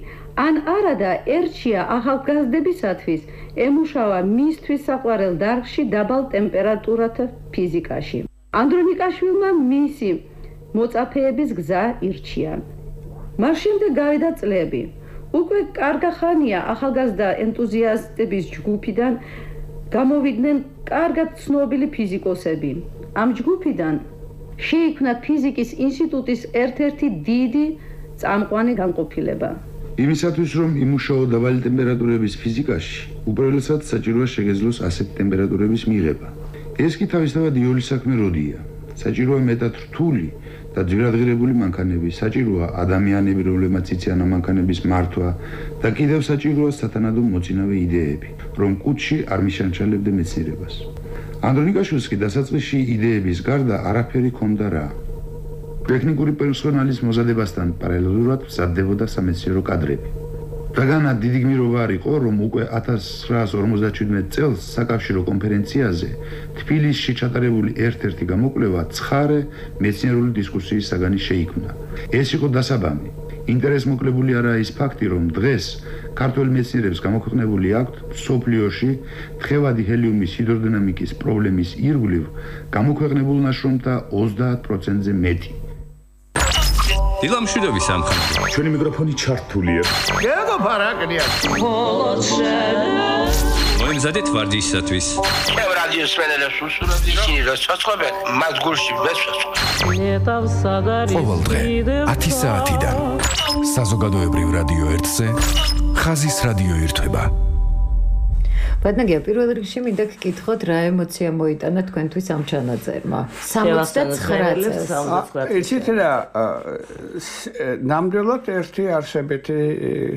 [SPEAKER 8] ან არადა ერჩია ახალგაზრდებისათვის ემუშავა მისთვის საყვარელ დარგში დაბალ ტემპერატურათა ფიზიკაში. ანდრონიკაშვილმა მისი მოწაფეების გზა ირჩია. მას შემდეგ გავიდა წლები. უკვე კარგახანია ახალგაზრდა ენტუზიასტების ჯგუფიდან გამოვიდნენ კარგად ცნობილი ფიზიკოსები. ამ ჯგუფიდან შეიქმნა ფიზიკის ინსტიტუტის ერთ-ერთი დიდი წამყვანი განყოფილება.
[SPEAKER 9] იმისათვის რომ იმუშაო დაბალი ტემპერატურების ფიზიკაში, უპირველესად საჭიროა შეგეძლოს ასეთი ტემპერატურების მიღება. ეს კი თავისთავად იული საქმე როდია. საჭიროა მეტად რთული და ძირადღირებული მანქანები, საჭიროა ადამიანები, რომლებმაც იციან ამ მანქანების მართვა და კიდევ საჭიროა სათანადო მოწინავე იდეები, რომ კუთში არ მიშანჩალებდა მეცნიერებას. ანდრონიკაშვილს კი დასაწყისში იდეების გარდა არაფერი ჰქონდა რა. ტექნიკური პერსონალის მოზადებასთან პარალელურად მზადდებოდა სამეცნიერო კადრები. რადგანაც დიდი გმირობა არ იყო, რომ უკვე ათას ცხრაას ორმოცდაჩვიდმეტ წელს საკავშირო კონფერენციაზე თბილისში ჩატარებული ერთ-ერთი გამოკვლევა ცხარე მეცნიერული დისკუსიის საგანი შეიქმნა. ეს იყო დასაბამი. ინტერესმოკლებული არაა ის ფაქტი, რომ დღეს ქართველ მეცნიერებს გამოქვეყნებული აქვთ მსოფლიოში თხევადი ჰელიუმის ჰიდროდინამიკის პრობლემის ირგვლივ გამოქვეყნებულ ნაშრომთა ოცდაათ პროცენტზე მეტი.
[SPEAKER 10] დილამშვიდობი სამხატვრო.
[SPEAKER 9] ჩვენი მიკროფონი ჩართულია.
[SPEAKER 11] გეგო ფარაკნია.
[SPEAKER 10] მოიმზადეთ ვარჯიშისათვის.
[SPEAKER 11] ჩემ რადიოს სვენელებს უსურვებდი, ისინი რა ჩაწყობენ, მათ გულში ვერ შეწყობ.
[SPEAKER 3] ყოველ დღე ათი საათიდან საზოგადოებრივ რადიო ერთზე ხაზის რადიო ირთვება.
[SPEAKER 1] ბატონო, პირველ რიგში მინდა გკითხოთ, რა ემოცია მოიტანა თქვენთვის ამ ჩანაწერმა? სამოცდაცხრა წელს.
[SPEAKER 5] იცით რა, ნამდვილად ერთი არსებითი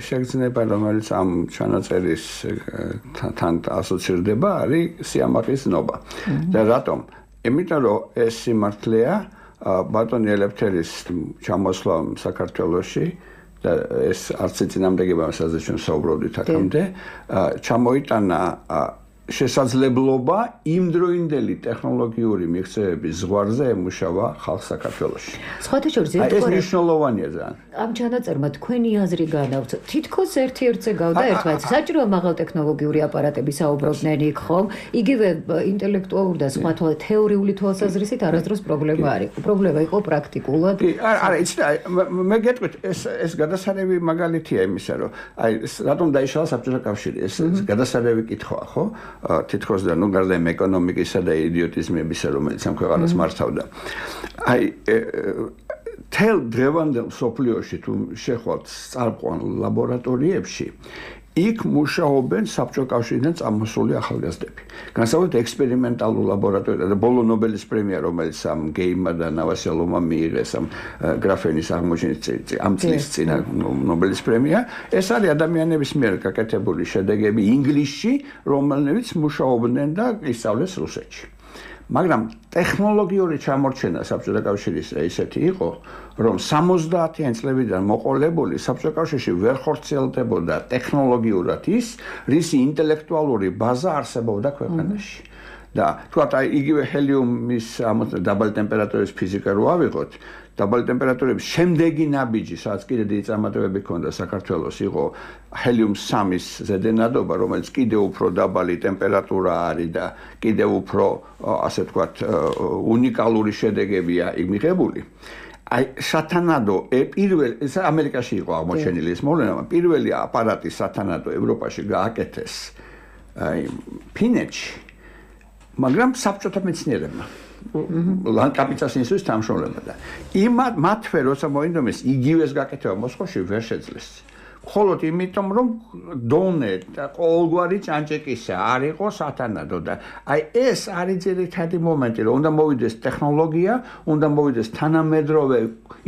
[SPEAKER 5] შეგრძნება, რომელიც ამ ჩანაწერის თან ასოცირდება, არის სიამაყის ნობა. და რატომ? იმიტომ რომ ეს სიმართლეა, ბატონი ელეფთერის ჩამოსვლა საქართველოში და ეს არც წინამდებობა, სადაც ჩვენ საუბრობდით აქამდე, ჩამოიტანა შესაძლებლობა იმდროინდელი ტექნოლოგიური მიღწევების ზღვარზე ემუშავა ხალხ საქართველოში.
[SPEAKER 1] სხვათა შორის
[SPEAKER 5] ეს მნიშვნელოვანია ძალიან.
[SPEAKER 1] ამ ჩანაწერმა თქვენი აზრი განავრცო. თითქოს ერთ-ერთზე გავდა ერთმანეთს. საჭიროა მაღალტექნოლოგიური აპარატები საუბრობდნენ იქ ხომ? იგივე ინტელექტუალური და სხვა თეორიული თვალსაზრისით არასდროს პრობლემა არ იყო. პრობლემა იყო პრაქტიკულად.
[SPEAKER 5] არა, იცით, მე გეტყვით, ეს ეს გადასარევი მაგალითია იმისა, რომ აი რატომ დაიშალა საბჭოთა კავშირი. ეს გადასარევი კითხვაა, ხო? თითქოს და ნუ გარდა იმ ეკონომიკისა და იდიოტიზმებისა, რომელიც ამ ქვეყანას მართავდა. აი თელ დღევანდელ სოფლიოში თუ შეხვალთ წარყვან ლაბორატორიებში, იქ მუშაობენ საბჭოთა კავშირიდან წამოსული ახალგაზრდები. განსაკუთრებით ექსპერიმენტალურ ლაბორატორიაზე და ბოლო ნობელის პრემია, რომელიც ამ გეიმმა და ნავასელოვმა მიიღეს ამ გრაფენის აღმოჩენის ამ წლის წინა ნობელის პრემია, ეს არის ადამიანების მიერ გაკეთებული შედეგები ინგლისში, რომლებიც მუშაობდნენ და ისწავლეს რუსეთში. მაგრამ ტექნოლოგიური ჩამორჩენა საბჭოთა კავშირის ისეთი იყო, რომ სამოცდაათიან წლებიდან მოყოლებული საბჭოთა კავშირში ვერ ხორციელდებოდა ტექნოლოგიურად ის, რისი ინტელექტუალური ბაზა არსებობდა ქვეყანაში. და თქვათ, აი იგივე ჰელიუმის დაბალი ტემპერატურის ფიზიკა რო ავიღოთ, დაბალი ტემპერატურების შემდეგი ნაბიჯი, სადაც კიდე დიდი წარმატებები ჰქონდა საქართველოს, იყო ჰელიუმ სამის ზედენადობა, რომელიც კიდევ უფრო დაბალი ტემპერატურა არის და კიდევ უფრო, ასე ვთქვათ, უნიკალური შედეგებია მიღებული. აი სათანადო პირველ ამერიკაში იყო აღმოჩენილი ეს მოვლენა, პირველი აპარატი სათანადო ევროპაში გააკეთეს აი ფინეთში, მაგრამ საბჭოთა მეცნიერებმა ლანკაპიცას ინსტიტუტის დამშრომლებმა და იმათ მათვე როცა მოინდომეს იგივეს გაკეთება მოსკოვში ვერ შეძლეს. მხოლოდ იმიტომ რომ დონე და ყოველგვარი ჭანჭეკისა არ იყო სათანადო და აი ეს არის ძირითადი მომენტი რომ უნდა მოვიდეს ტექნოლოგია, უნდა მოვიდეს თანამედროვე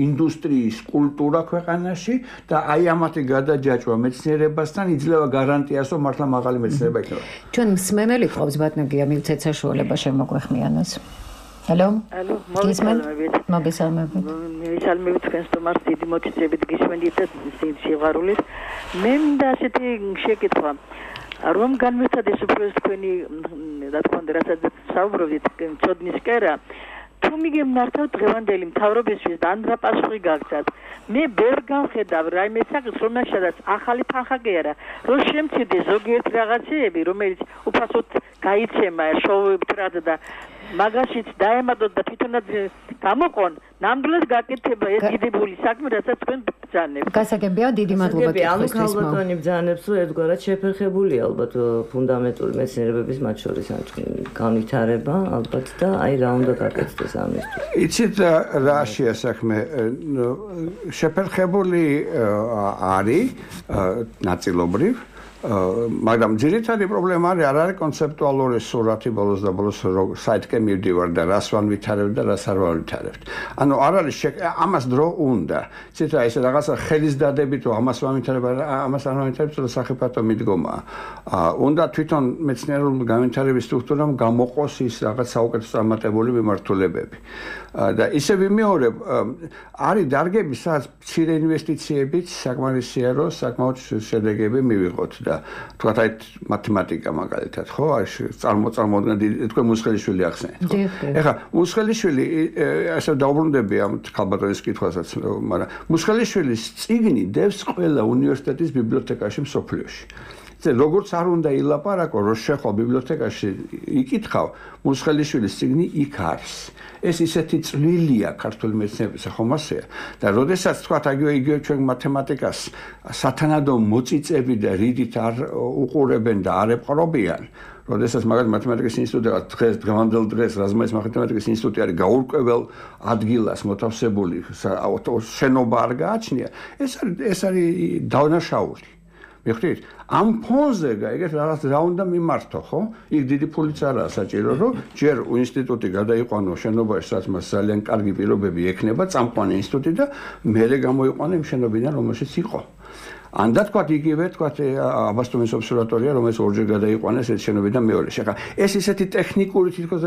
[SPEAKER 5] ინდუსტრიის კულტურა ქვეყანაში და აი ამათი გადაჯაჭვა მეცნიერებასთან იძლევა გარანტიას რომ მართლა მაღალი მეცნიერება იქნება.
[SPEAKER 1] ჩვენ მსმენელი ყავს ბატონია მივცეთ საშუალება შემოგვეხმიანოს. Hello.
[SPEAKER 12] Hello. მოგესალმებით.
[SPEAKER 1] მოგესალმებით.
[SPEAKER 12] მივესალმებით თქვენს თომარს დიდი მოგწევით გისმენდით და სიყვარულით. მე მინდა ასეთი შეკითხვა. რომ განმეცადეთ უფრო თქვენი რა თქმა უნდა რასაც საუბრობთ ცოდნის კერა თუ მიგემნართავ დღევანდელი მთავრობისთვის და ან რა პასუხი გაგცათ. მე ვერ გავხედავ რაიმე საკითხს რომელშიც ახალი თანხა კი არა რომ შემცირდეს ზოგიერთ რაღაცეები რომელიც უფასოდ გაიცემა შოუებტრად და მაგაშიც დაემადოთ და თვითონაც გამოყონ ნამდვილად გაკეთება ეს დიდებული საქმე რასაც თქვენ ბრძანებთ.
[SPEAKER 1] გასაგებია დიდი მადლობა
[SPEAKER 4] კითხვის. ანუ ქალბატონი ბრძანებს რომ ერთგვარად შეფერხებული ალბათ ფუნდამენტური მეცნიერებების მათ შორის განვითარება ალბათ და აი რა უნდა გაკეთდეს ამისთვის.
[SPEAKER 5] იცით რა შეასახმე შეფერხებული არის ნაწილობრივ მაგრამ ძირითადი პრობლემა არის არ არის კონცეპტუალური სურათი ბოლოს და ბოლოს საითკე მივდივარ და რას ვანვითარებ და რას არ ვანვითარებთ. ანუ არ არის ამას დრო უნდა. ცით რა ესე რაღაცა ხელის დადებით რომ ამას ვანვითარებ ამას არ ვანვითარებ და სახიფათო მიდგომა. უნდა თვითონ მეცნიერულ განვითარების სტრუქტურამ გამოყოს ის რაღაც საუკეთესო წარმატებული მიმართულებები. და ისე ვიმეორებ არის დარგები სადაც მცირე ინვესტიციებით საკმარისია რომ საკმაოდ შედეგები მივიღოთ და თქვათ აი მათემატიკა მაგალითად ხო აი წარმოწარმოდგენ თქვენ მუსხელიშვილი ახსენეთ ხო ეხლა მუსხელიშვილი ასე დაუბრუნდები ამ ქალბატონის კითხვასაც მაგრამ მუსხელიშვილის წიგნი დევს ყველა უნივერსიტეტის ბიბლიოთეკაში მსოფლიოში ზე როგორც არ უნდა ილაპარაკო რომ შეხვალ ბიბლიოთეკაში იკითხავ მუსხელიშვილის წიგნი იქ არის ეს ისეთი წვლილია ქართული მეცნიერების ხომასეა და როდესაც თქვათ აგივე იგივე ჩვენ მათემატიკას სათანადო მოწიწები და რიდით არ უყურებენ და არ ეპყრობიან როდესაც მაგალითად მათემატიკის ინსტიტუტი დღეს დღევანდელ დღეს რაზმაის მათემატიკის ინსტიტუტი არის გაურკვეველ ადგილას მოთავსებული შენობა არ გააჩნია ეს არის ეს არის დანაშაული მიხდით ამ ფონზე გაიგეთ რაღაც რა უნდა მიმართო ხო იქ დიდი ფულიც არაა საჭირო რომ ჯერ ინსტიტუტი გადაიყვანო შენობაში სადაც მას ძალიან კარგი პირობები ექნება წამყვანი ინსტიტუტი და მერე გამოიყვანო იმ შენობიდან რომელშიც იყო ან და თქვათ იგივე თქვათ აბასტუმის ობსერვატორია რომელიც ორჯერ გადაიყვანეს ეს შენობიდან მეორეში ახლა ეს ისეთი ტექნიკური თითქოს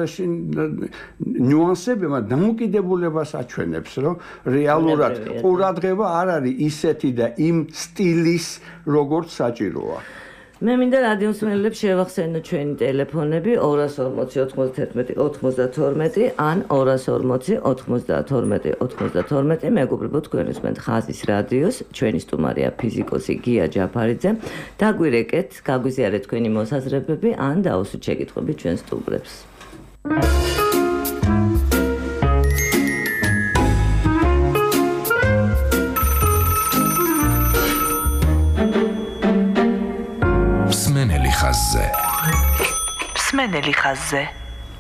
[SPEAKER 5] ნიუანსები მაგრამ დამოკიდებულებას აჩვენებს რომ რეალურად ყურადღება არ არის ისეთი და იმ სტილის როგორც საჭიროა
[SPEAKER 4] მე მინდა რადიოსმენელებს შევახსენო ჩვენი ტელეფონები ორას ორმოცი ოთხმოცდაათმეტი ოცდაათმეტი ან ორას ორმოცი ოცდაათმეტი ოცდაათმეტი მეგობრებო თქვენ უსმენთ ხაზის რადიოს ჩვენი სტუმარია ფიზიკოსი გია ჯაფარიძე დაგვირეკეთ გაგვიზიარეთ თქვენი მოსაზრებები ან დაუსვით შეკითხვები ჩვენ სტუმრებს
[SPEAKER 2] მსმენელი ხაზზე.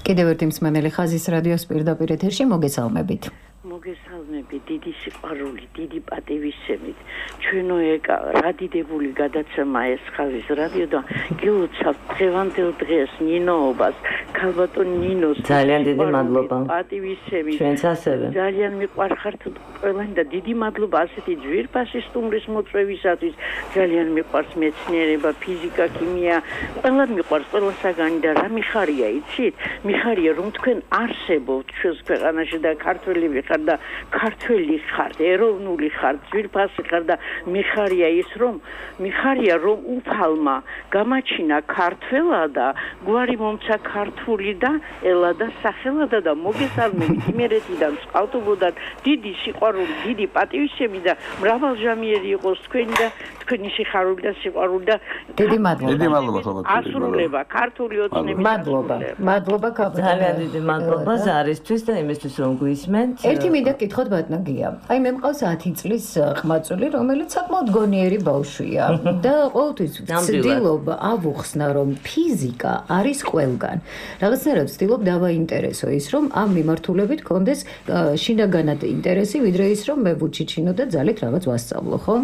[SPEAKER 1] კიდევ ერთი მსმენელი ხაზის რადიოს პირდაპირ ეთერში მოგესალმებით.
[SPEAKER 12] მოგესალმებით, დიდი სიყვარული, დიდი პატივისცემით. ჩვენო ეკა რა დიდებული გადაცემა ეს ხაზის რადიო და გილოცავ დღევანდელ დღეს ნინოობას, ქალბატონ ნინოს
[SPEAKER 4] ძალიან დიდი მადლობა.
[SPEAKER 12] პატივისცემით.
[SPEAKER 4] ჩვენც ასევე.
[SPEAKER 12] ძალიან მიყვარხართ ყველანი და დიდი მადლობა ასეთი ძვირფასი სტუმრის მოწვევისათვის. ძალიან მიყვარს მეცნიერება, ფიზიკა, ქიმია, ყველად მიყვარს ყველა საგანი და რა მიხარია, იცით? მიხარია რომ თქვენ არსებობთ ჩვენს ქვეყანაში და ქართველები ხარ და ქართველი ხართ, ეროვნული ხართ, ძვირფასი ხარ და მიხარია ის რომ მიხარია რომ უფალმა გამაჩინა ქართველა და გვარი მომცა ქართული და ელა და სახელადა და მოგესალმებით იმერეთიდან წყალტუბოდან დიდი სიყვარული, დიდი პატივისცემი და მრავალჟამიერი იყოს თქვენი და თქვენი სიხარული და სიყვარული და
[SPEAKER 1] დიდი მადლობა.
[SPEAKER 5] დიდი მადლობა ხალხო.
[SPEAKER 12] ასრულება ქართული ოცნების
[SPEAKER 1] მადლობა. მადლობა ქალბატონო.
[SPEAKER 4] ძალიან დიდი მადლობა ზარისთვის და იმისთვის რომ გვისმენთ.
[SPEAKER 1] ერთი მინდა გითხოთ ბატონგია. აი მე მყავს ათი წლის ყმაწული, რომელიც საკმაოდ გონიერი ბავშვია და ყოველთვის ვცდილობ ავუხსნა, რომ ფიზიკა არის ყველგან. რაღაცნაირად ვცდილობ დავაინტერესო ის, რომ ამ მიმართულებით კონდეს შინაგანად ინტერესი, ვიდრე ის, რომ მე ვუჩიჩინო და ძალით რაღაც ვასწავლო, ხო?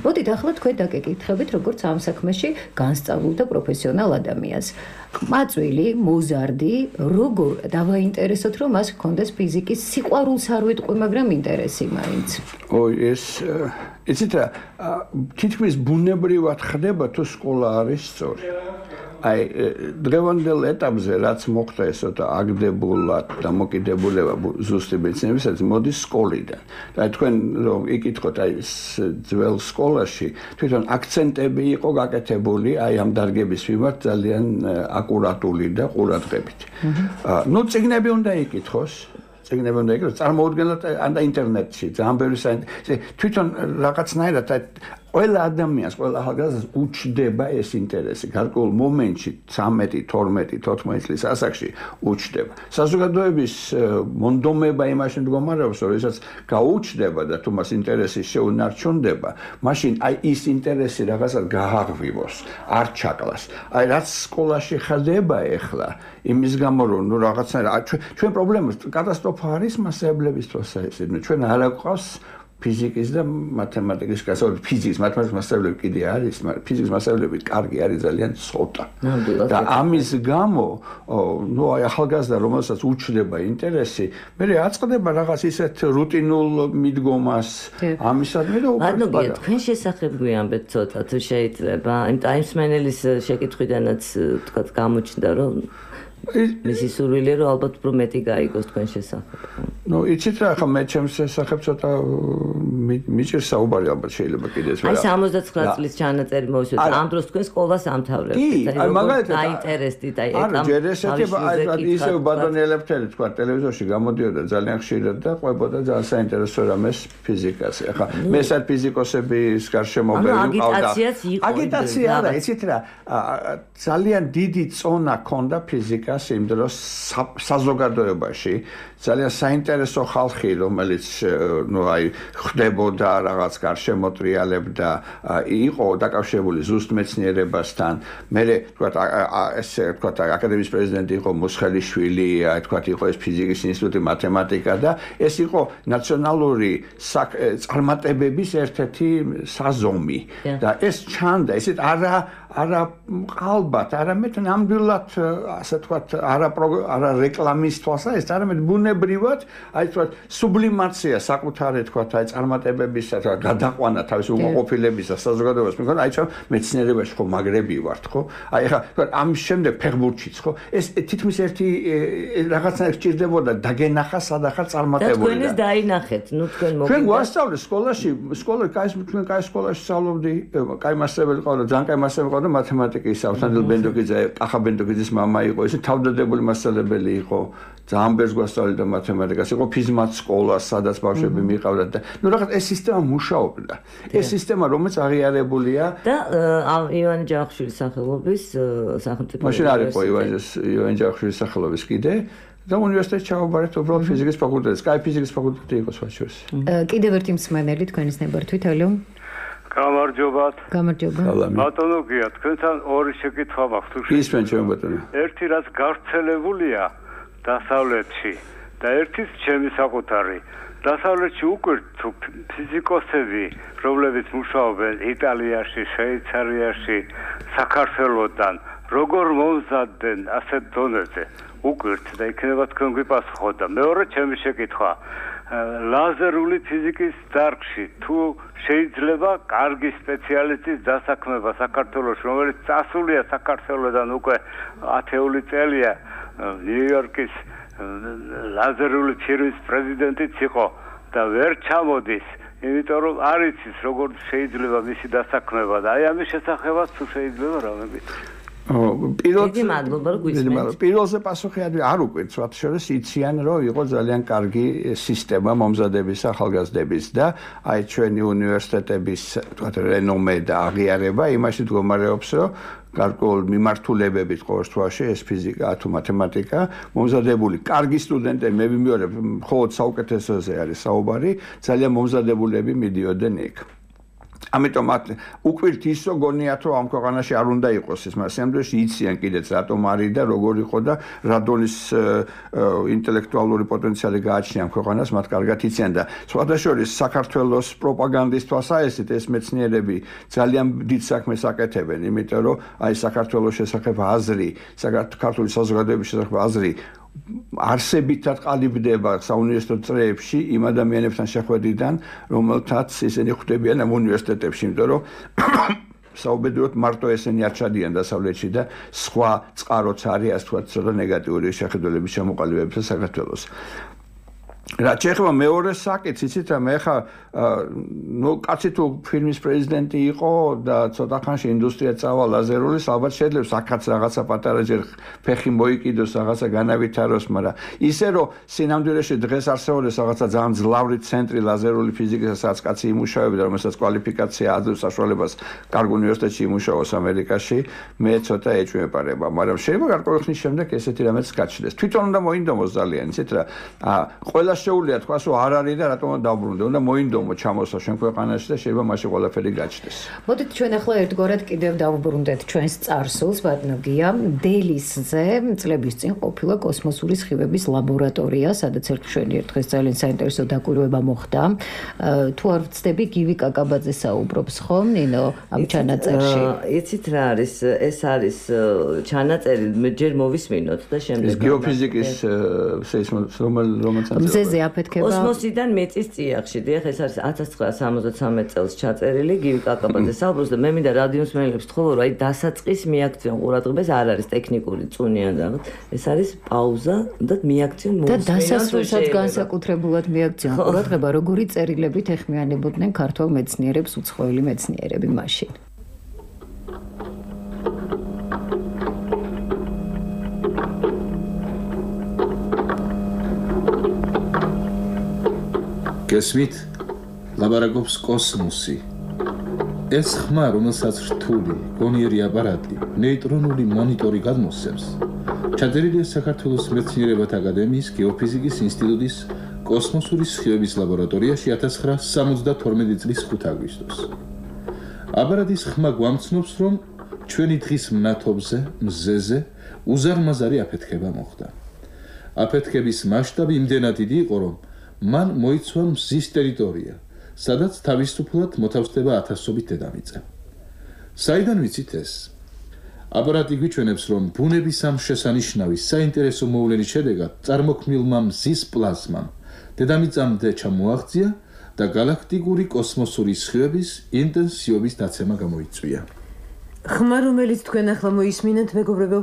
[SPEAKER 1] მოდით ახლა თქვენ დაგეკითხებით, როგორც ამ საქმეში განსწავლულ და პროფესიონალ ადამიანს. ყმაწვილი, მოზარდი, როგორ დავაინტერესოთ, რომ მას ჰქონდეს ფიზიკის სიყვარულს არ ვიტყვი, მაგრამ ინტერესი მაინც.
[SPEAKER 5] ой, ეს იცით რა, თითქმის ბუნებრივად ხდება თუ სკოლა არის სწორი. აი, დღევანდელ ეტაპზე რაც მოხდა ესოთა აგდებულად დამოკიდებულება ზუსტი მეცნიერებისათვის მოდის სკოლიდან. და თქვენ რომ იკითხოთ აი ძველ სკოლაში თვითონ აქცენტები იყო გაკეთებული აი ამ დარგების მიმართ ძალიან აკურატული და ყურადღებით. ნუ წიგნები უნდა იკითხოს. წიგნები უნდა იკითხოს, წარმოუდგენლად ანდა ინტერნეტში ძალიან ბევრი თვითონ რაღაცნაირად ყველა ადამიანს, ყველა ახალგაზრდას უჩდება ეს ინტერესი. გარკვეულ მომენტში ცამეტი, თორმეტი, თოთხმეტი წლის ასაკში უჩდება. საზოგადოების მონდომება იმაში მდგომარეობს, რომ ისაც გაუჩდება და თუ მას ინტერესი შეუნარჩუნდება, მაშინ აი ის ინტერესი რაღაცად გააღვივოს, არ ჩაკლას. აი რაც სკოლაში ხდება ეხლა, იმის გამო რომ ნუ რაღაცნაირად ჩვენ პრობლემა კატასტროფა არის მასწავლებლების დროს ეს. ჩვენ არ აგვყავს ფიზიკის და მათემატიკის გასწავლება, ფიზიკის, მათემატიკის მასწავლებლები კიდე არის, მაგრამ ფიზიკის მასწავლებლები კარგი არის ძალიან ცოტა. და ამის გამო, ნუ აი ახალგაზრდა რომელსაც უჩნდება ინტერესი, მე აწყდება რაღაც ისეთ რუტინულ მიდგომას ამისადმი და
[SPEAKER 4] ბატონო, თქვენ შესახებ გვიამბეთ ცოტა თუ შეიძლება, იმ ტაიმსმენელის შეკითხვიდანაც თქვა გამოჩნდა რომ მისი სურვილია რომ ალბათ უფრო მეტი გაიგოს თქვენ შესახებ.
[SPEAKER 5] ნუ იცით რა, ხა მე ჩემს შესახებ ცოტა მიჭირს საუბარი ალბათ შეიძლება კიდეც ვერა.
[SPEAKER 4] აი სამოცდათვრამეტ წლის ჩანაწერი მოვისურვეთ. ამ დროს თქვენ სკოლას ამთავრებთ.
[SPEAKER 5] აი მაგალითად
[SPEAKER 4] დაინტერესდით აი
[SPEAKER 5] ამ ჯერ ესეთი აი ისევ ბატონი ელეფთერი თქვა ტელევიზორში გამოდიოდა ძალიან ხშირად და ყვებოდა ძალიან საინტერესო რამეს ფიზიკაზე. ახლა მე სად ფიზიკოსების გარშემო ბევრი მყავდა. აგიტაცია არა, იცით რა, ძალიან დიდი წონა ჰქონდა ფიზიკა იმ დროს საზოგადოებაში ძალიან საინტერესო ხალხი რომელიც ნუ აი ხდებოდა რაღაც გარშემოტრიალებდა იყო დაკავშირებული ზუსტ მეცნიერებასთან მე თქვა ესე თქვა აკადემიის პრეზიდენტი იყო მუსხელიშვილი აი თქვა იყო ეს ფიზიკის ინსტიტუტი მათემატიკა და ეს იყო ნაციონალური წარმატებების ერთ-ერთი საზომი და ეს ჩანდა ესეთ არა არა ალბათ არამედ ნამდვილად ასე ვთქვათ არა არა რეკლამის თვალსა ეს არამედ ბუნებრივად აი ვთქვათ სუბლიმაცია საკუთარი ვთქვათ აი წარმატებების გადაყვანა თავის უმოყოფილებისა საზოგადოებას მეკონა აი ჩვენ მეცნიერებაში ხო მაგრები ვართ ხო აი ხა ვთქვათ ამ შემდეგ ფეხბურთშიც ხო ეს თითქმის ერთი რაღაცა სჭირდებოდა დაგენახა სადახარ წარმატებული
[SPEAKER 4] და თქვენ ეს დაინახეთ ნუ თქვენ მოგიდა
[SPEAKER 5] ჩვენ გვასწავლეს სკოლაში სკოლა კაი ჩვენ კაი სკოლაში სწავლობდი კაი მასწავლებელი ყავდა ძალიან კაი მასწავლებელი ყავდა მათემატიკის ავთანდილ ბენდოკიძე ახა ბენდოკიძის მამა იყო ესე თავდადებული მასწავლებელი იყო ძალიან ბევრს გვასწავლიდა მათემატიკას იყო ფიზმათ სკოლა სადაც ბავშვები მიყავდათ და ნუ რაღაც ეს სისტემა მუშაობდა ეს სისტემა რომელიც აღიარებულია
[SPEAKER 4] და ივანე ჯავახიშვილის სახელობის სახელმწიფო
[SPEAKER 5] მაშინ არ იყო ივანე ჯავახიშვილის სახელობის კიდე და უნივერსიტეტში ჩავაბარეთ უბრალოდ ფიზიკის ფაკულტეტს კაი ფიზიკის ფაკულტეტი იყო სხვა შორის
[SPEAKER 1] კიდევ ერთი მსმენელი თქვენის ნებართვით ალო
[SPEAKER 13] გამარჯობათ.
[SPEAKER 1] გამარჯობა.
[SPEAKER 13] ბატონო გია, თქვენთან ორი შეკითხვა მაქვს თუ
[SPEAKER 5] შეიძლება. ისმენ ჩემ ბატონო.
[SPEAKER 13] ერთი რაც გავრცელებულია დასავლეთში და ერთის ჩემი საკუთარი. დასავლეთში უკვე თუ ფიზიკოსები, რომლებიც მუშაობენ იტალიაში, შვეიცარიაში, საქართველოსთან, როგორ მომზადდნენ ასეთ დონეზე, უკვე და იქნება თქვენ გვიპასუხოთ და მეორე ჩემი შეკითხვა. ლაზერული ფიზიკის დარგში თუ შეიძლება კარგი სპეციალისტის დასაქმება საქართველოს რომელიც წასულია საქართველოსთან უკვე ათეული წელია ნიუ-იორკის ლაზერული ფირმის პრეზიდენტიც იყო და ვერ ჩამოდის იმიტომ რომ არ იცის როგორ შეიძლება მისი დასაქმება და აი ამის შესახებაც თუ შეიძლება რამე გითხრათ
[SPEAKER 5] პირველ
[SPEAKER 4] დიდი მადლობა რომ გვისმენთ.
[SPEAKER 5] პირველზე პასუხი არ უკვირს, მათ შორის იციან რომ იყო ძალიან კარგი სისტემა მომზადების ახალგაზრდების და აი ჩვენი უნივერსიტეტების თქვათ რენომე და აღიარება იმაში მდგომარეობს რომ გარკვეულ მიმართულებებით ყოველ შემთხვევაში ეს ფიზიკა თუ მათემატიკა მომზადებული კარგი სტუდენტები მე ვიმეორებ მხოლოდ საუკეთესოზე არის საუბარი ძალიან მომზადებულები მიდიოდნენ იქ ამიტომ უკვირთ ის რომ გონიათ რომ ამ ქვეყანაში არ უნდა იყოს ეს მაგრამ სამდროში იციან კიდეც რატომ არის და როგორ იყო და რა დონის ინტელექტუალური პოტენციალი გააჩნია ამ ქვეყანას მათ კარგად იციან და სხვადასხვა საქართველოს პროპაგანდის თვალსაჩინო ეს მეცნიერები ძალიან დიდ საქმეს აკეთებენ იმიტომ რომ აი საქართველოს შესახებ აზრი საქართველოს საზოგადოების შესახებ აზრი არსებითად ყალიბდება საუნივერსიტეტო წრეებში იმ ადამიანებთან შეხვედრიდან რომელთაც ისინი ხვდებიან ამ უნივერსიტეტებში იმიტომ რომ საუბედუროთ მარტო ესენი არ ჩადიან დასავლეთში და სხვა წყაროც არის ასე ვთქვათ ცოტა ნეგატიური შეხედულების ჩამოყალიბებისა საქართველოს რა შეიძლება მეორე საკითხი იცით რა მე ხა ნუ კაცი თუ ფილმის პრეზიდენტი იყო და ცოტა ხანში ინდუსტრია წავა ლაზერულის ალბათ შეიძლება აქაც რაღაცა პატარა ჯერ ფეხი მოიკიდოს რაღაცა განავითაროს მაგრამ ისე რომ სინამდვილეში დღეს არსებობს რაღაცა ძალიან ძლავრი ცენტრი ლაზერული ფიზიკის სადაც კაცი იმუშავებდა რომელსაც კვალიფიკაცია აძლევს საშუალებას კარგ უნივერსიტეტში იმუშაოს ამერიკაში მე ცოტა ეჭვმეპარება მაგრამ შეიძლება გარკვეული ხნის შემდეგ ესეთი რამეც გაჩნდეს თვითონ უნდა მოინდომოს ძალიან იცით რა ყველა შეუძლია თქვას რომ არ არის და რატომ დაუბრუნდე უნდა მოინდომო ჩამოსვა ჩვენ ქვეყანაში და შეიძლება მაშინ ყველაფერი გაჩნდეს.
[SPEAKER 1] მოდით ჩვენ ახლა ერთგვარად კიდევ დავუბრუნდეთ ჩვენს წარსულს ბატონოგია დელისზე წლების წინ ყოფილა კოსმოსური სხივების ლაბორატორია სადაც ერთ ჩვენი ერთხელ ძალიან საინტერესო დაკვირვება მოხდა. თუ არ ვცდები გივი კაკაბაძე საუბრობს ხომ ნინო ამ ჩანაწერში.
[SPEAKER 4] იცით რა არის ეს არის ჩანაწერი მე ჯერ მოვისმინოთ და შემდეგ
[SPEAKER 5] ეს გეოფიზიკის სეისმოლოგია
[SPEAKER 1] მზეზე აფეთქება
[SPEAKER 4] კოსმოსიდან მეწის წიაღში დიახ ეს არის ათას ცხრაასა სამოცდათრამეტ წელს ჩაწერილი გივი კაკაბაძე საუბრობს და მე მინდა რადიოს მენელებს თქვა რომ აი დასაწყის მიაქციონ ყურადღებას არ არის ტექნიკური წუნიან რაღაც ეს არის პაუზა და მიაქციონ
[SPEAKER 1] და დასასრულსაც განსაკუთრებულად მიაქციონ ყურადღება როგორი წერილებით ეხმიანებოდნენ ქართველ მეცნიერებს უცხოელი მეცნიერები მაშინ
[SPEAKER 9] გესმით ლაბარაკობს კოსმოსი ეს ხმა რომელსაც რთული გონიერი აპარატი ნეიტრონული მონიტორი გადმოსცემს ჩაწერილია საქართველოს მეცნიერებათა აკადემიის გეოფიზიკის ინსტიტუტის კოსმოსური სხივების ლაბორატორიაში ათას ცხრაასა სამოცდათორმეტი წლის ხუთი აგვისტოს აპარატის ხმა გვამცნობს რომ ჩვენი დღის მნათობზე მზეზე უზარმაზარი აფეთქება მოხდა აფეთქების მასშტაბი იმდენად დიდი იყო რომ მან მოიცვა მზის ტერიტორია, სადაც თავისუფლად მოთავსდება ათასობით დედამიწა. საიდან ვიცით ეს? აპარატი გვიჩვენებს, რომ ბუნების ამ შესანიშნავის საინტერესო მოვლენის შედეგად წარმოქმნილმა მზის პლაზმამ დედამიწამდე ჩამოაღწია და galaktikuri კოსმოსური სხივების ინტენსივობის დაცემა გამოიწვია.
[SPEAKER 14] ხმა, რომელიც თქვენ ახლა მოისმინეთ, მეგობრებო,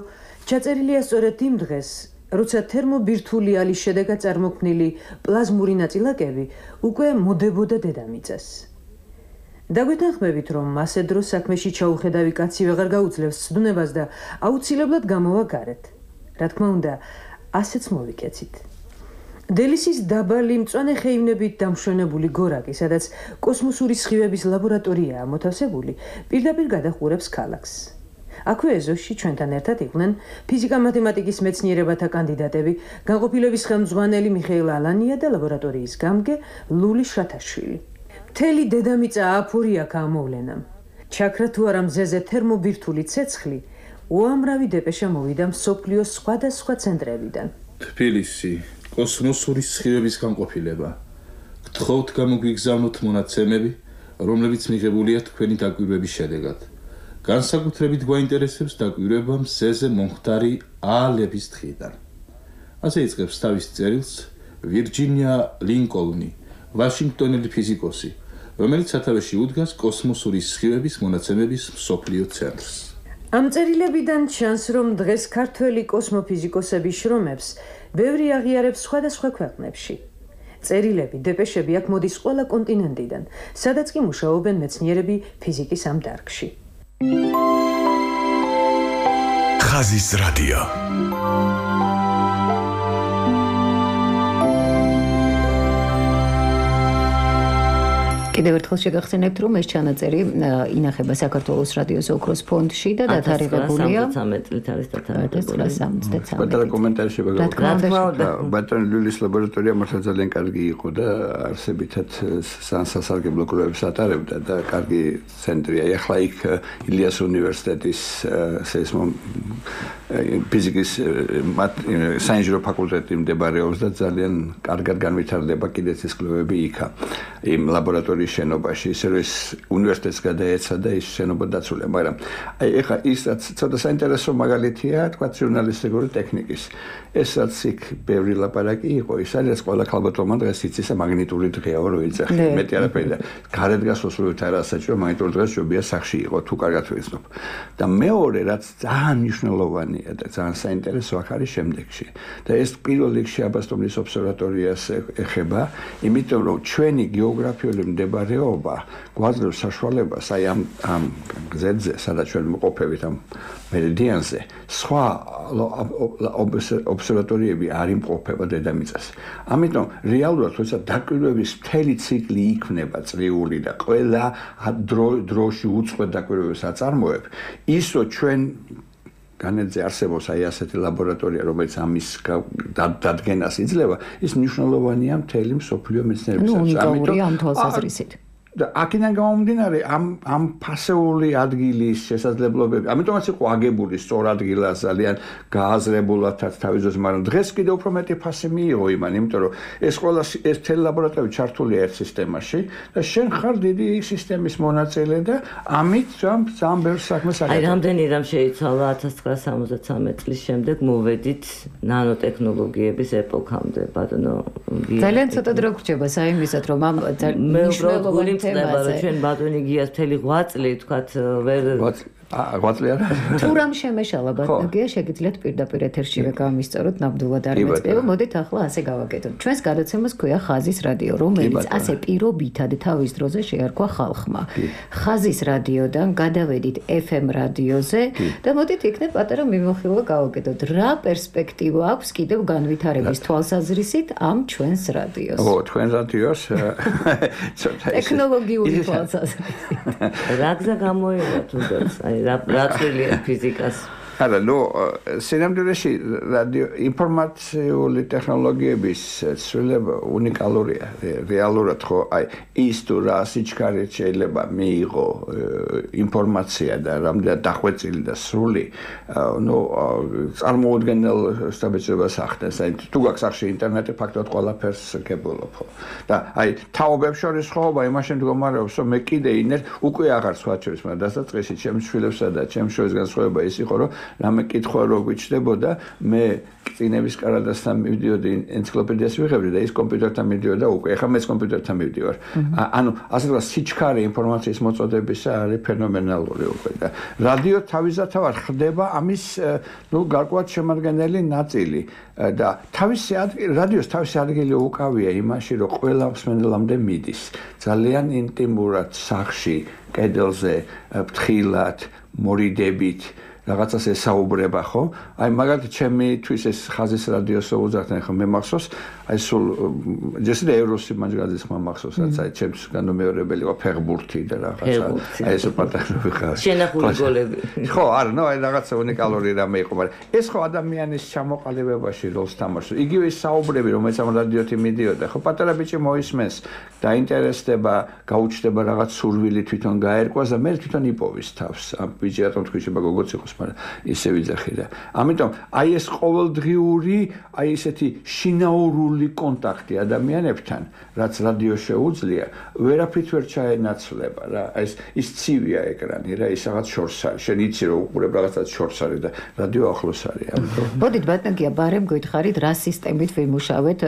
[SPEAKER 14] ჩაწერილია სწორედ იმ დღეს, როცა თერმობირთვული ალის შედეგად წარმოქმნილი პლაზმური ნაწილაკები უკვე მოდებოდა დედამიწას. დაგვეთანხმებით, რომ მასე დროს საქმეში ჩაუხედავი კაცი ვეღარ გაუძლევს ცდუნებას და აუცილებლად გამოვა გარეთ. რა თქმა უნდა, ასეც მოვიქეცით. დელისის დაბალი მწვანე ხეივნებით დამშვენებული გორაკი, სადაც კოსმოსური სხივების ლაბორატორიაა მოთავსებული, პირდაპირ გადაჰყურებს ქალაქს. აქვე ეზოში ჩვენთან ერთად იყვნენ ფიზიკა-მათემატიკის მეცნიერებათა კანდიდატები, განყოფილების ხელმძღვანელი მიხეილ ალანია და ლაბორატორიის გამგე ლული შათაშვილი. მთელი დედამიწა აფორია გამოვლენამ. ჩაქრა თუ არა მზეზე თერმობირთვული ცეცხლი, უამრავი დეპეშა მოვიდა მსოფლიოს სხვადასხვა ცენტრებიდან.
[SPEAKER 9] თბილისი, კოსმოსური სხივების განყოფილება. გთხოვთ გამოგვიგზავნოთ მონაცემები, რომლებიც მიღებულია თქვენი დაკვირვების შედეგად. განსაკუთრებით გვაინტერესებს დაკვირვება მზეზე მომხდარი აალების დღიდან. ასე იწყებს თავის წერილს ვირჯინია ლინკოლნი, ვაშინგტონელი ფიზიკოსი, რომელიც სათავეში უდგას კოსმოსური სხივების მონაცემების მსოფლიო ცენტრს.
[SPEAKER 14] ამ წერილებიდან ჩანს, რომ დღეს ქართველი კოსმოფიზიკოსები შრომებს ბევრი აღიარებს სხვადასხვა ქვეყნებში. წერილები, დეპეშები აქ მოდის ყველა კონტინენტიდან, სადაც კი მუშაობენ მეცნიერები ფიზიკის ამ დარგში.
[SPEAKER 3] ხაზის რადიო.
[SPEAKER 1] კიდევ ერთხელ შეგახსენებთ, რომ ეს ჩანაწერი ინახება საქართველოს რადიოს ოქროს ფონდში და დათარიღებულია
[SPEAKER 4] ათას წლით არის დათარიღებული.
[SPEAKER 5] პატარა კომენტარი შეგაგზავნოთ. ბატონი ლულის ლაბორატორია მართლა ძალიან კარგი იყო და არსებითად სასარგებლო კვლევებს ატარებდა და კარგი ცენტრია. ახლა იქ ილიას უნივერსიტეტის სეისმო ფიზიკის საინჟინრო ფაკულტეტი მდებარეობს და ძალიან კარგად განვითარდება კიდეც ეს კვლევები იქა. იმ ლაბორატორიის შენობაში, ისე რომ უნივერსიტეტს გადაეცა და ის შენობა დაცულია, მაგრამ აი ეხლა ისაც ცოტა საინტერესო მაგალითია, თქვა ჟურნალისტიკური ტექნიკის. ეს რაც იქ ბევრი ლაპარაკი იყო, ის არის ყველა ქალბატონმა დღეს იცის მაგნიტური დღეა რო იცახი, მეტი არაფერი და გარეთ გასვლას რო არ ასაჭირო, მაგნიტური დღე შეუძლია სახში იყო, თუ კარგად ვიცნობ. და მეორე რაც ძალიან მნიშვნელოვანია და ძალიან საინტერესო აქ არის შემდეგში. და ეს პირველ რიგში აბასტომნის ობსერვატორიას ეხება, იმიტომ რომ ჩვენი გეოგრაფიული მდებარეობა გვაძლევს საშუალებას აი ამ ამ გზებზე, სადაც ჩვენ მყოფებით ამ მერიდიანზე, სხვა ობსერვატორიები არ იმყოფება დედამიწაზე. ამიტომ რეალურად როცა დაკვირვების მთელი ციკლი იქნება წრიული და ყველა დროში უწყვეტ დაკვირვებას აწარმოებ, ის რომ ჩვენ განედზე არსებობს აი ასეთი ლაბორატორია, რომელიც ამის დადგენას იძლევა, ის მნიშვნელოვანია მთელი მსოფლიო მეცნიერებისათვის.
[SPEAKER 1] ნუ უნიკალურია ამ თვალსაზრისით.
[SPEAKER 5] და აქედან გამომდინარე ამ ამ ფასეული ადგილის შესაძლებლობები, ამიტომაც იყო აგებული სწორ ადგილას ძალიან გააზრებულათაც თავის დროს, მაგრამ დღეს კიდევ უფრო მეტი ფასი მიიღო იმან, იმიტომ რომ ეს ყველა ეს მთელი ლაბორატორია ჩართულია ერთ სისტემაში და შენ ხარ დიდი სისტემის მონაწილე და ამით ძალიან ბევრ საქმეს აკეთებ.
[SPEAKER 4] აი რამდენი რამ შეიცვალა ათას ცხრაასი სამოცდათვრამეტი წლის შემდეგ მოვედით ნანოტექნოლოგიების ეპოქამდე, ბატონო.
[SPEAKER 1] ძალიან ცოტა დრო გრჩება საიმისად, რომ ამ მნიშვნელოვანი
[SPEAKER 4] ხდება რომ ჩვენ ბატონი გიას მთელი ღვაწლი თქვათ ვერ
[SPEAKER 5] ღვაწლი არა
[SPEAKER 1] თუ რამ შემეშალა ბატონი გია შეგიძლიათ პირდაპირ ეთერშივე გამისწოროთ ნამდვილად არ მეწევა მოდით ახლა ასე გავაკეთოთ ჩვენს გადაცემას ქვია ხაზის რადიო რომელიც ასე პირობითად თავის დროზე შეარქვა ხალხმა ხაზის რადიოდან გადავედით ეფ ემ რადიოზე და მოდით იქნებ პატარა მიმოხილვა გავაკეთოთ რა პერსპექტივა აქვს კიდევ განვითარების თვალსაზრისით ამ ჩვენს რადიოს
[SPEAKER 5] ო თქვენ რადიოს
[SPEAKER 1] ტექნოლოგიური თვალსაზრისით
[SPEAKER 4] რა გზა გამოიღო თუნდაც აი რა წვლილია ფიზიკას
[SPEAKER 5] არა ნუ სინამდვილეში რადიო ინფორმაციული ტექნოლოგიების ცვლილება უნიკალურია რეალურად ხო აი ის თუ რა სიჩქარით შეიძლება მიიღო ინფორმაცია და რამდენად დახვეწილი და სრული ნუ წარმოუდგენელ სტაბილურობას ახდენს აი თუ გაქვს სახში ინტერნეტი ფაქტობრივად ყველაფერს გებულობ ხო და აი თაობებს შორის ხოობა იმაში მდგომარეობს რომ მე კიდე ინერ უკვე აღარ სხვაჩვენს მაგრამ დასაწყისში ჩემს შვილებსა და ჩემს შორის განსხვავება ის იყო რომ რამე კითხვა რო გვიჩნდებოდა მე წინების კარადასთან მივდიოდი ენციკლოპედიას ვიღებდი და ის კომპიუტერთან მივდიოდა უკვე ეხლა მეც კომპიუტერთან მივდივარ ანუ ასე თქვა სიჩქარე ინფორმაციის მოწოდებისა არის ფენომენალური უკვე და რადიო თავისთავად ხდება ამის ნუ გარკვეულად შემადგენელი ნაწილი და თავისი რადიოს თავისი ადგილი უკავია იმაში რომ ყველა მსმენელამდე მიდის ძალიან ინტიმურად სახში კედელზე ფრთხილად მორიდებით რაღაცას ესაუბრება ხო? აი მაგალითად ჩემთვის ეს ხაზის რადიოს უძახდნენ ხო მე მახსოვს აი სულ ჯერ ევროსი მაგალითად ხმა მახსოვს რაც აი ჩემს განმეორებელი იყო ფეხბურთი და რაღაცა აი ეს პატარა ვიხარ
[SPEAKER 4] შენახული გოლები
[SPEAKER 5] ხო არა ნუ აი რაღაცა უნიკალური რამე იყო მაგრამ ეს ხო ადამიანის ჩამოყალიბებაში როლს თამაშობს იგივე საუბრები რომელიც ამ რადიოთი მიდიოდა ხო პატარა ბიჭი მოისმენს დაინტერესდება გაუჩნდება რაღაც სურვილი თვითონ გაერკვას და მე თვითონ იპოვის თავს ამ ბიჭი რატომ თქვი შეიძლება გოგოც იყოს მაგრამ ისე ვიძახი და ამიტომ აი ეს ყოველდღიური აი ესეთი შინაურული კონტაქტი ადამიანებთან რაც რადიო შეუძლია ვერაფრით ვერ ჩაენაცვლება რა ეს ის ცივია ეკრანი რა ის რაღაც შორს არის შენ იცი რომ უყურებ რაღაცას შორს არის და რადიო ახლოს არის ამიტომ
[SPEAKER 1] მოდით ბატონია ბარემ გითხარით რა სისტემით ვიმუშავეთ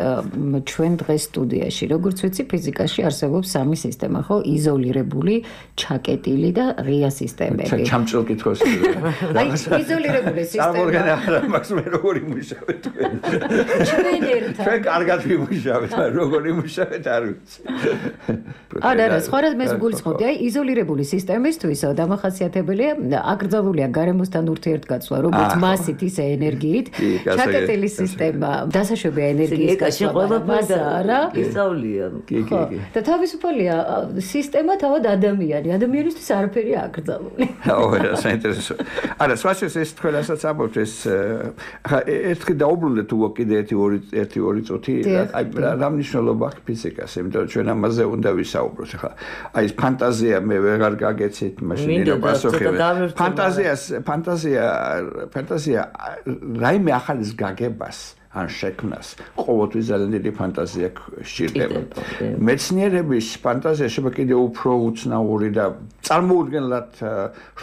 [SPEAKER 1] ჩვენ დღეს სტუდიაში როგორც ვიცი ფიზიკაში არსებობს სამი სისტემა ხო იზოლირებული ჩაკეტილი და ღია სისტემები
[SPEAKER 5] ჩამჭრელ კითხვას
[SPEAKER 1] აი იზოლირებული სისტემა
[SPEAKER 5] წარმოგენა არა მაქვს მე როგორი მუშავე თქვენ
[SPEAKER 1] ჩვენ ერთად
[SPEAKER 5] ჩვენ კარგად ვიმუშავეთ, მაგრამ როგორ იმუშავეთ არ ვიცი.
[SPEAKER 1] არა, არა, სხვა რამე გულისხმობდი, აი იზოლირებული სისტემისთვის დამახასიათებელია აკრძალულია გარემოსთან ურთიერთკაცვა, როგორც მასით, ისე ენერგიით. ჩაკეტილი სისტემა, დასაშვებია ენერგიის გასვლა, მასა არა?
[SPEAKER 4] ისწავლია.
[SPEAKER 5] კი, კი, კი.
[SPEAKER 1] და თავისუფალია სისტემა თავად ადამიანი, ადამიანისთვის არაფერი აკრძალული.
[SPEAKER 5] აუ, რა საინტერესო. არა, სხვაშორის ეს თქვენასაც ამბობთ ეს ხა ერთხი დაუბრუნდეთ უო კიდე ერთი ორი ერთი ორი წუთი აი რა მნიშვნელობა აქვს ფიზიკას, იმიტომ რომ ჩვენ ამაზე უნდა ვისაუბროთ ხა. აი ეს ფანტაზია მე ვეღარ გაგეცით მაშინ რა პასუხები. ფანტაზიას ფანტაზია ფანტაზია რაიმე ახალის გაგებას ან შექმნას ყოველთვის ძალიან დიდი ფანტაზია სჭირდება. მეცნიერების ფანტაზია შეიძლება კიდევ უფრო უცნაური და წარმოუდგენლად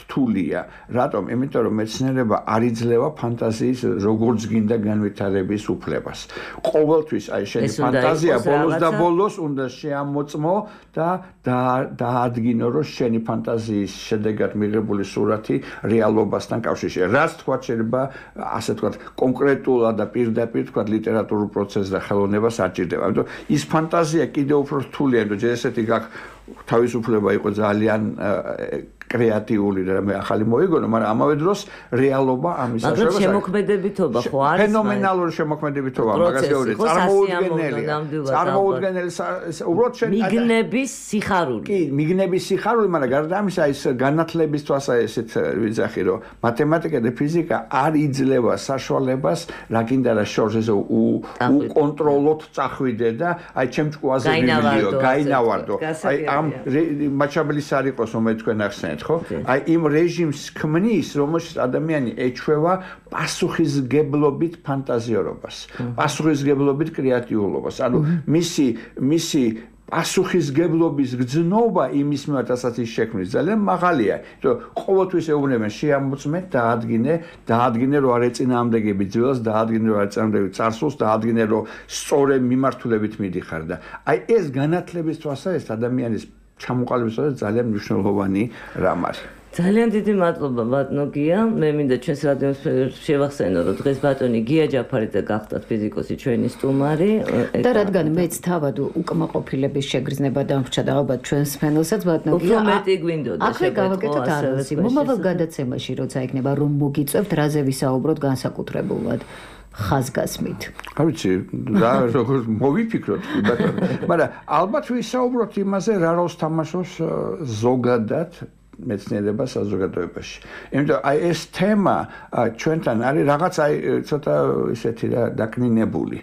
[SPEAKER 5] რთულია. რატომ? იმიტომ რომ მეცნიერება არ იძლევა ფანტაზიის როგორც გინდა განვითარების უფლებას. ყოველთვის აი შენი ფანტაზია ბოლოს და ბოლოს უნდა შეამოწმო და დაადგინო რომ შენი ფანტაზიის შედეგად მიღებული სურათი რეალობასთან კავშირშია. რაც თქვა შეიძლება ასე თქვა კონკრეტულად და პირდაპირ თქვა ლიტერატურულ პროცესს და ხელოვნებას არ ჭირდება. ამიტომ ის ფანტაზია კიდევ უფრო რთულია, რომ ჯერ ესეთი გაქვს თავისუფლება იყო ძალიან კრეატიული და მე ახალი მოიგონო, მაგრამ ამავე დროს რეალობა ამის
[SPEAKER 4] საშუალებას აქვს. მაგრამ შემოქმედებითობა ხო არის?
[SPEAKER 5] ფენომენალური შემოქმედებითობა, მაგას გეუბნები, წარმოუდგენელი. წარმოუდგენელი უბრალოდ შენ
[SPEAKER 4] მიგნების სიხარული.
[SPEAKER 5] კი, მიგნების სიხარული, მაგრამ გარდა ამისა ის განათლების თვალსაზრისით ვიძახი, რომ მათემატიკა და ფიზიკა არ იძლევა საშუალებას, რა გინდა რა შორს ესე უკონტროლოთ წახვიდე და აი ჩემ ჭკუაზე ვიმილიო, გაინავარდო. აი ამ მაჩაბლის არ იყოს, რომ თქვენ ახსენეთ. აი იმ რეჟიმს ქმნის, რომელშიც ადამიანი ეჩვევა პასუხისგებლობით ფანტაზიორობას, პასუხისგებლობით კრეატიულობას. ანუ მისი მისი პასუხისგებლობის გრძნობა იმის მიმართ, რასაც ის შექმნის, ძალიან მაღალია. იმიტომ ყოველთვის ეუბნებიან შეამოწმეთ, დაადგინე, დაადგინე რომ არ ეწინააღმდეგები ძველს, დაადგინე რომ არ ეწინააღმდეგები წარსულს, დაადგინე რომ სწორი მიმართულებით მიდიხარ და აი ეს განათლების თვალსაზრისით ადამიანის ჩამოყალიბებისას ძალიან მნიშვნელოვანი რამ არის.
[SPEAKER 4] ძალიან დიდი მადლობა ბატონო გია. მე მინდა ჩვენს რადიოს შევახსენო, რომ დღეს ბატონი გია ჯაფარიძე გახდათ ფიზიკოსი ჩვენი სტუმარი.
[SPEAKER 1] და რადგან მეც თავად უკმაყოფილების შეგრძნება დამრჩა და ალბათ ჩვენს ფენელსაც ბატონო გია.
[SPEAKER 4] უფრო მეტი გვინდოდა
[SPEAKER 1] ახლა გავაკეთოთ არასი. მომავალ გადაცემაში როცა იქნება რომ მოგიწევთ რაზე ვისაუბროთ განსაკუთრებულად. ხაზგასმით.
[SPEAKER 5] არ ვიცი, რა როგორ მოვიფიქროთ, ბატონო. მაგრამ ალბათ ვისაუბროთ იმაზე, რა როლს თამაშობს ზოგადად მეცნიერება საზოგადოებაში. იმიტომ აი ეს თემა ჩვენთან არის რაღაც აი ცოტა ისეთი რა დაკნინებული.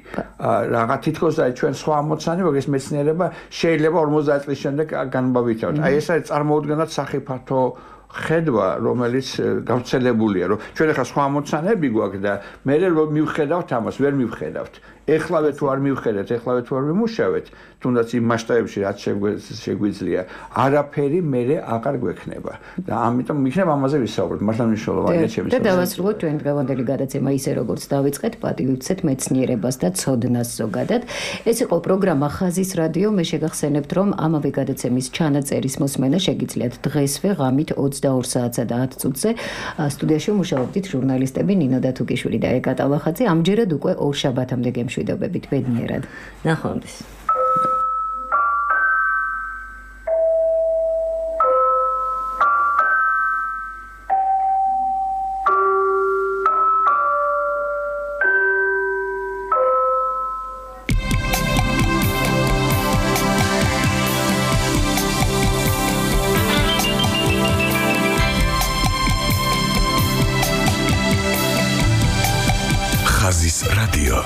[SPEAKER 5] რაღაც თითქოს აი ჩვენ სხვა ამოცანი, მაგრამ ეს მეცნიერება შეიძლება ორმოცდაათ წლის შემდეგ განმავითაროთ. აი ეს არის წარმოუდგენლად სახიფათო ხედვა, რომელიც გავრცელებულია, რომ ჩვენ ახლა სხვა ამოცანები გვაქვს და მე რომ მივხედავთ ამას, ვერ მივხედავთ. ეხლავე თუ არ მივხედავთ, ეხლავე თუ არ ვიმუშავეთ, თუნდაც იმ მასშტაბებში რაც შეგვიძლია, არაფერი მერე აღარ გვექნება. და ამიტომ მიქნება ამაზე ვისაუბროთ, მართლა მნიშვნელოვანია ჩემთვის.
[SPEAKER 1] და დავასრულოთ ჩვენ დღევანდელი გადაცემა ისე როგორც დავიწყეთ, პატივიცეთ მეცნიერებას და ცოდნას ზოგადად. ეს იყო პროგრამა ხაზის რადიო. მე შეგახსენებთ, რომ ამავე გადაცემის ჩანაწერის მოსმენა შეგიძლიათ დღესვე ღამით ოცდაორ საათსა და ათ წუთზე. სტუდიაში მუშაობდით ჟურნალისტები ნინო დათუკიშვილი და ეკა ტალახაძე. ამჯერად უკვე ორ შაბათამდე გემშვიდობებით. ბედნიერად.
[SPEAKER 4] ნახვამდის.
[SPEAKER 3] ხაზის რადიო.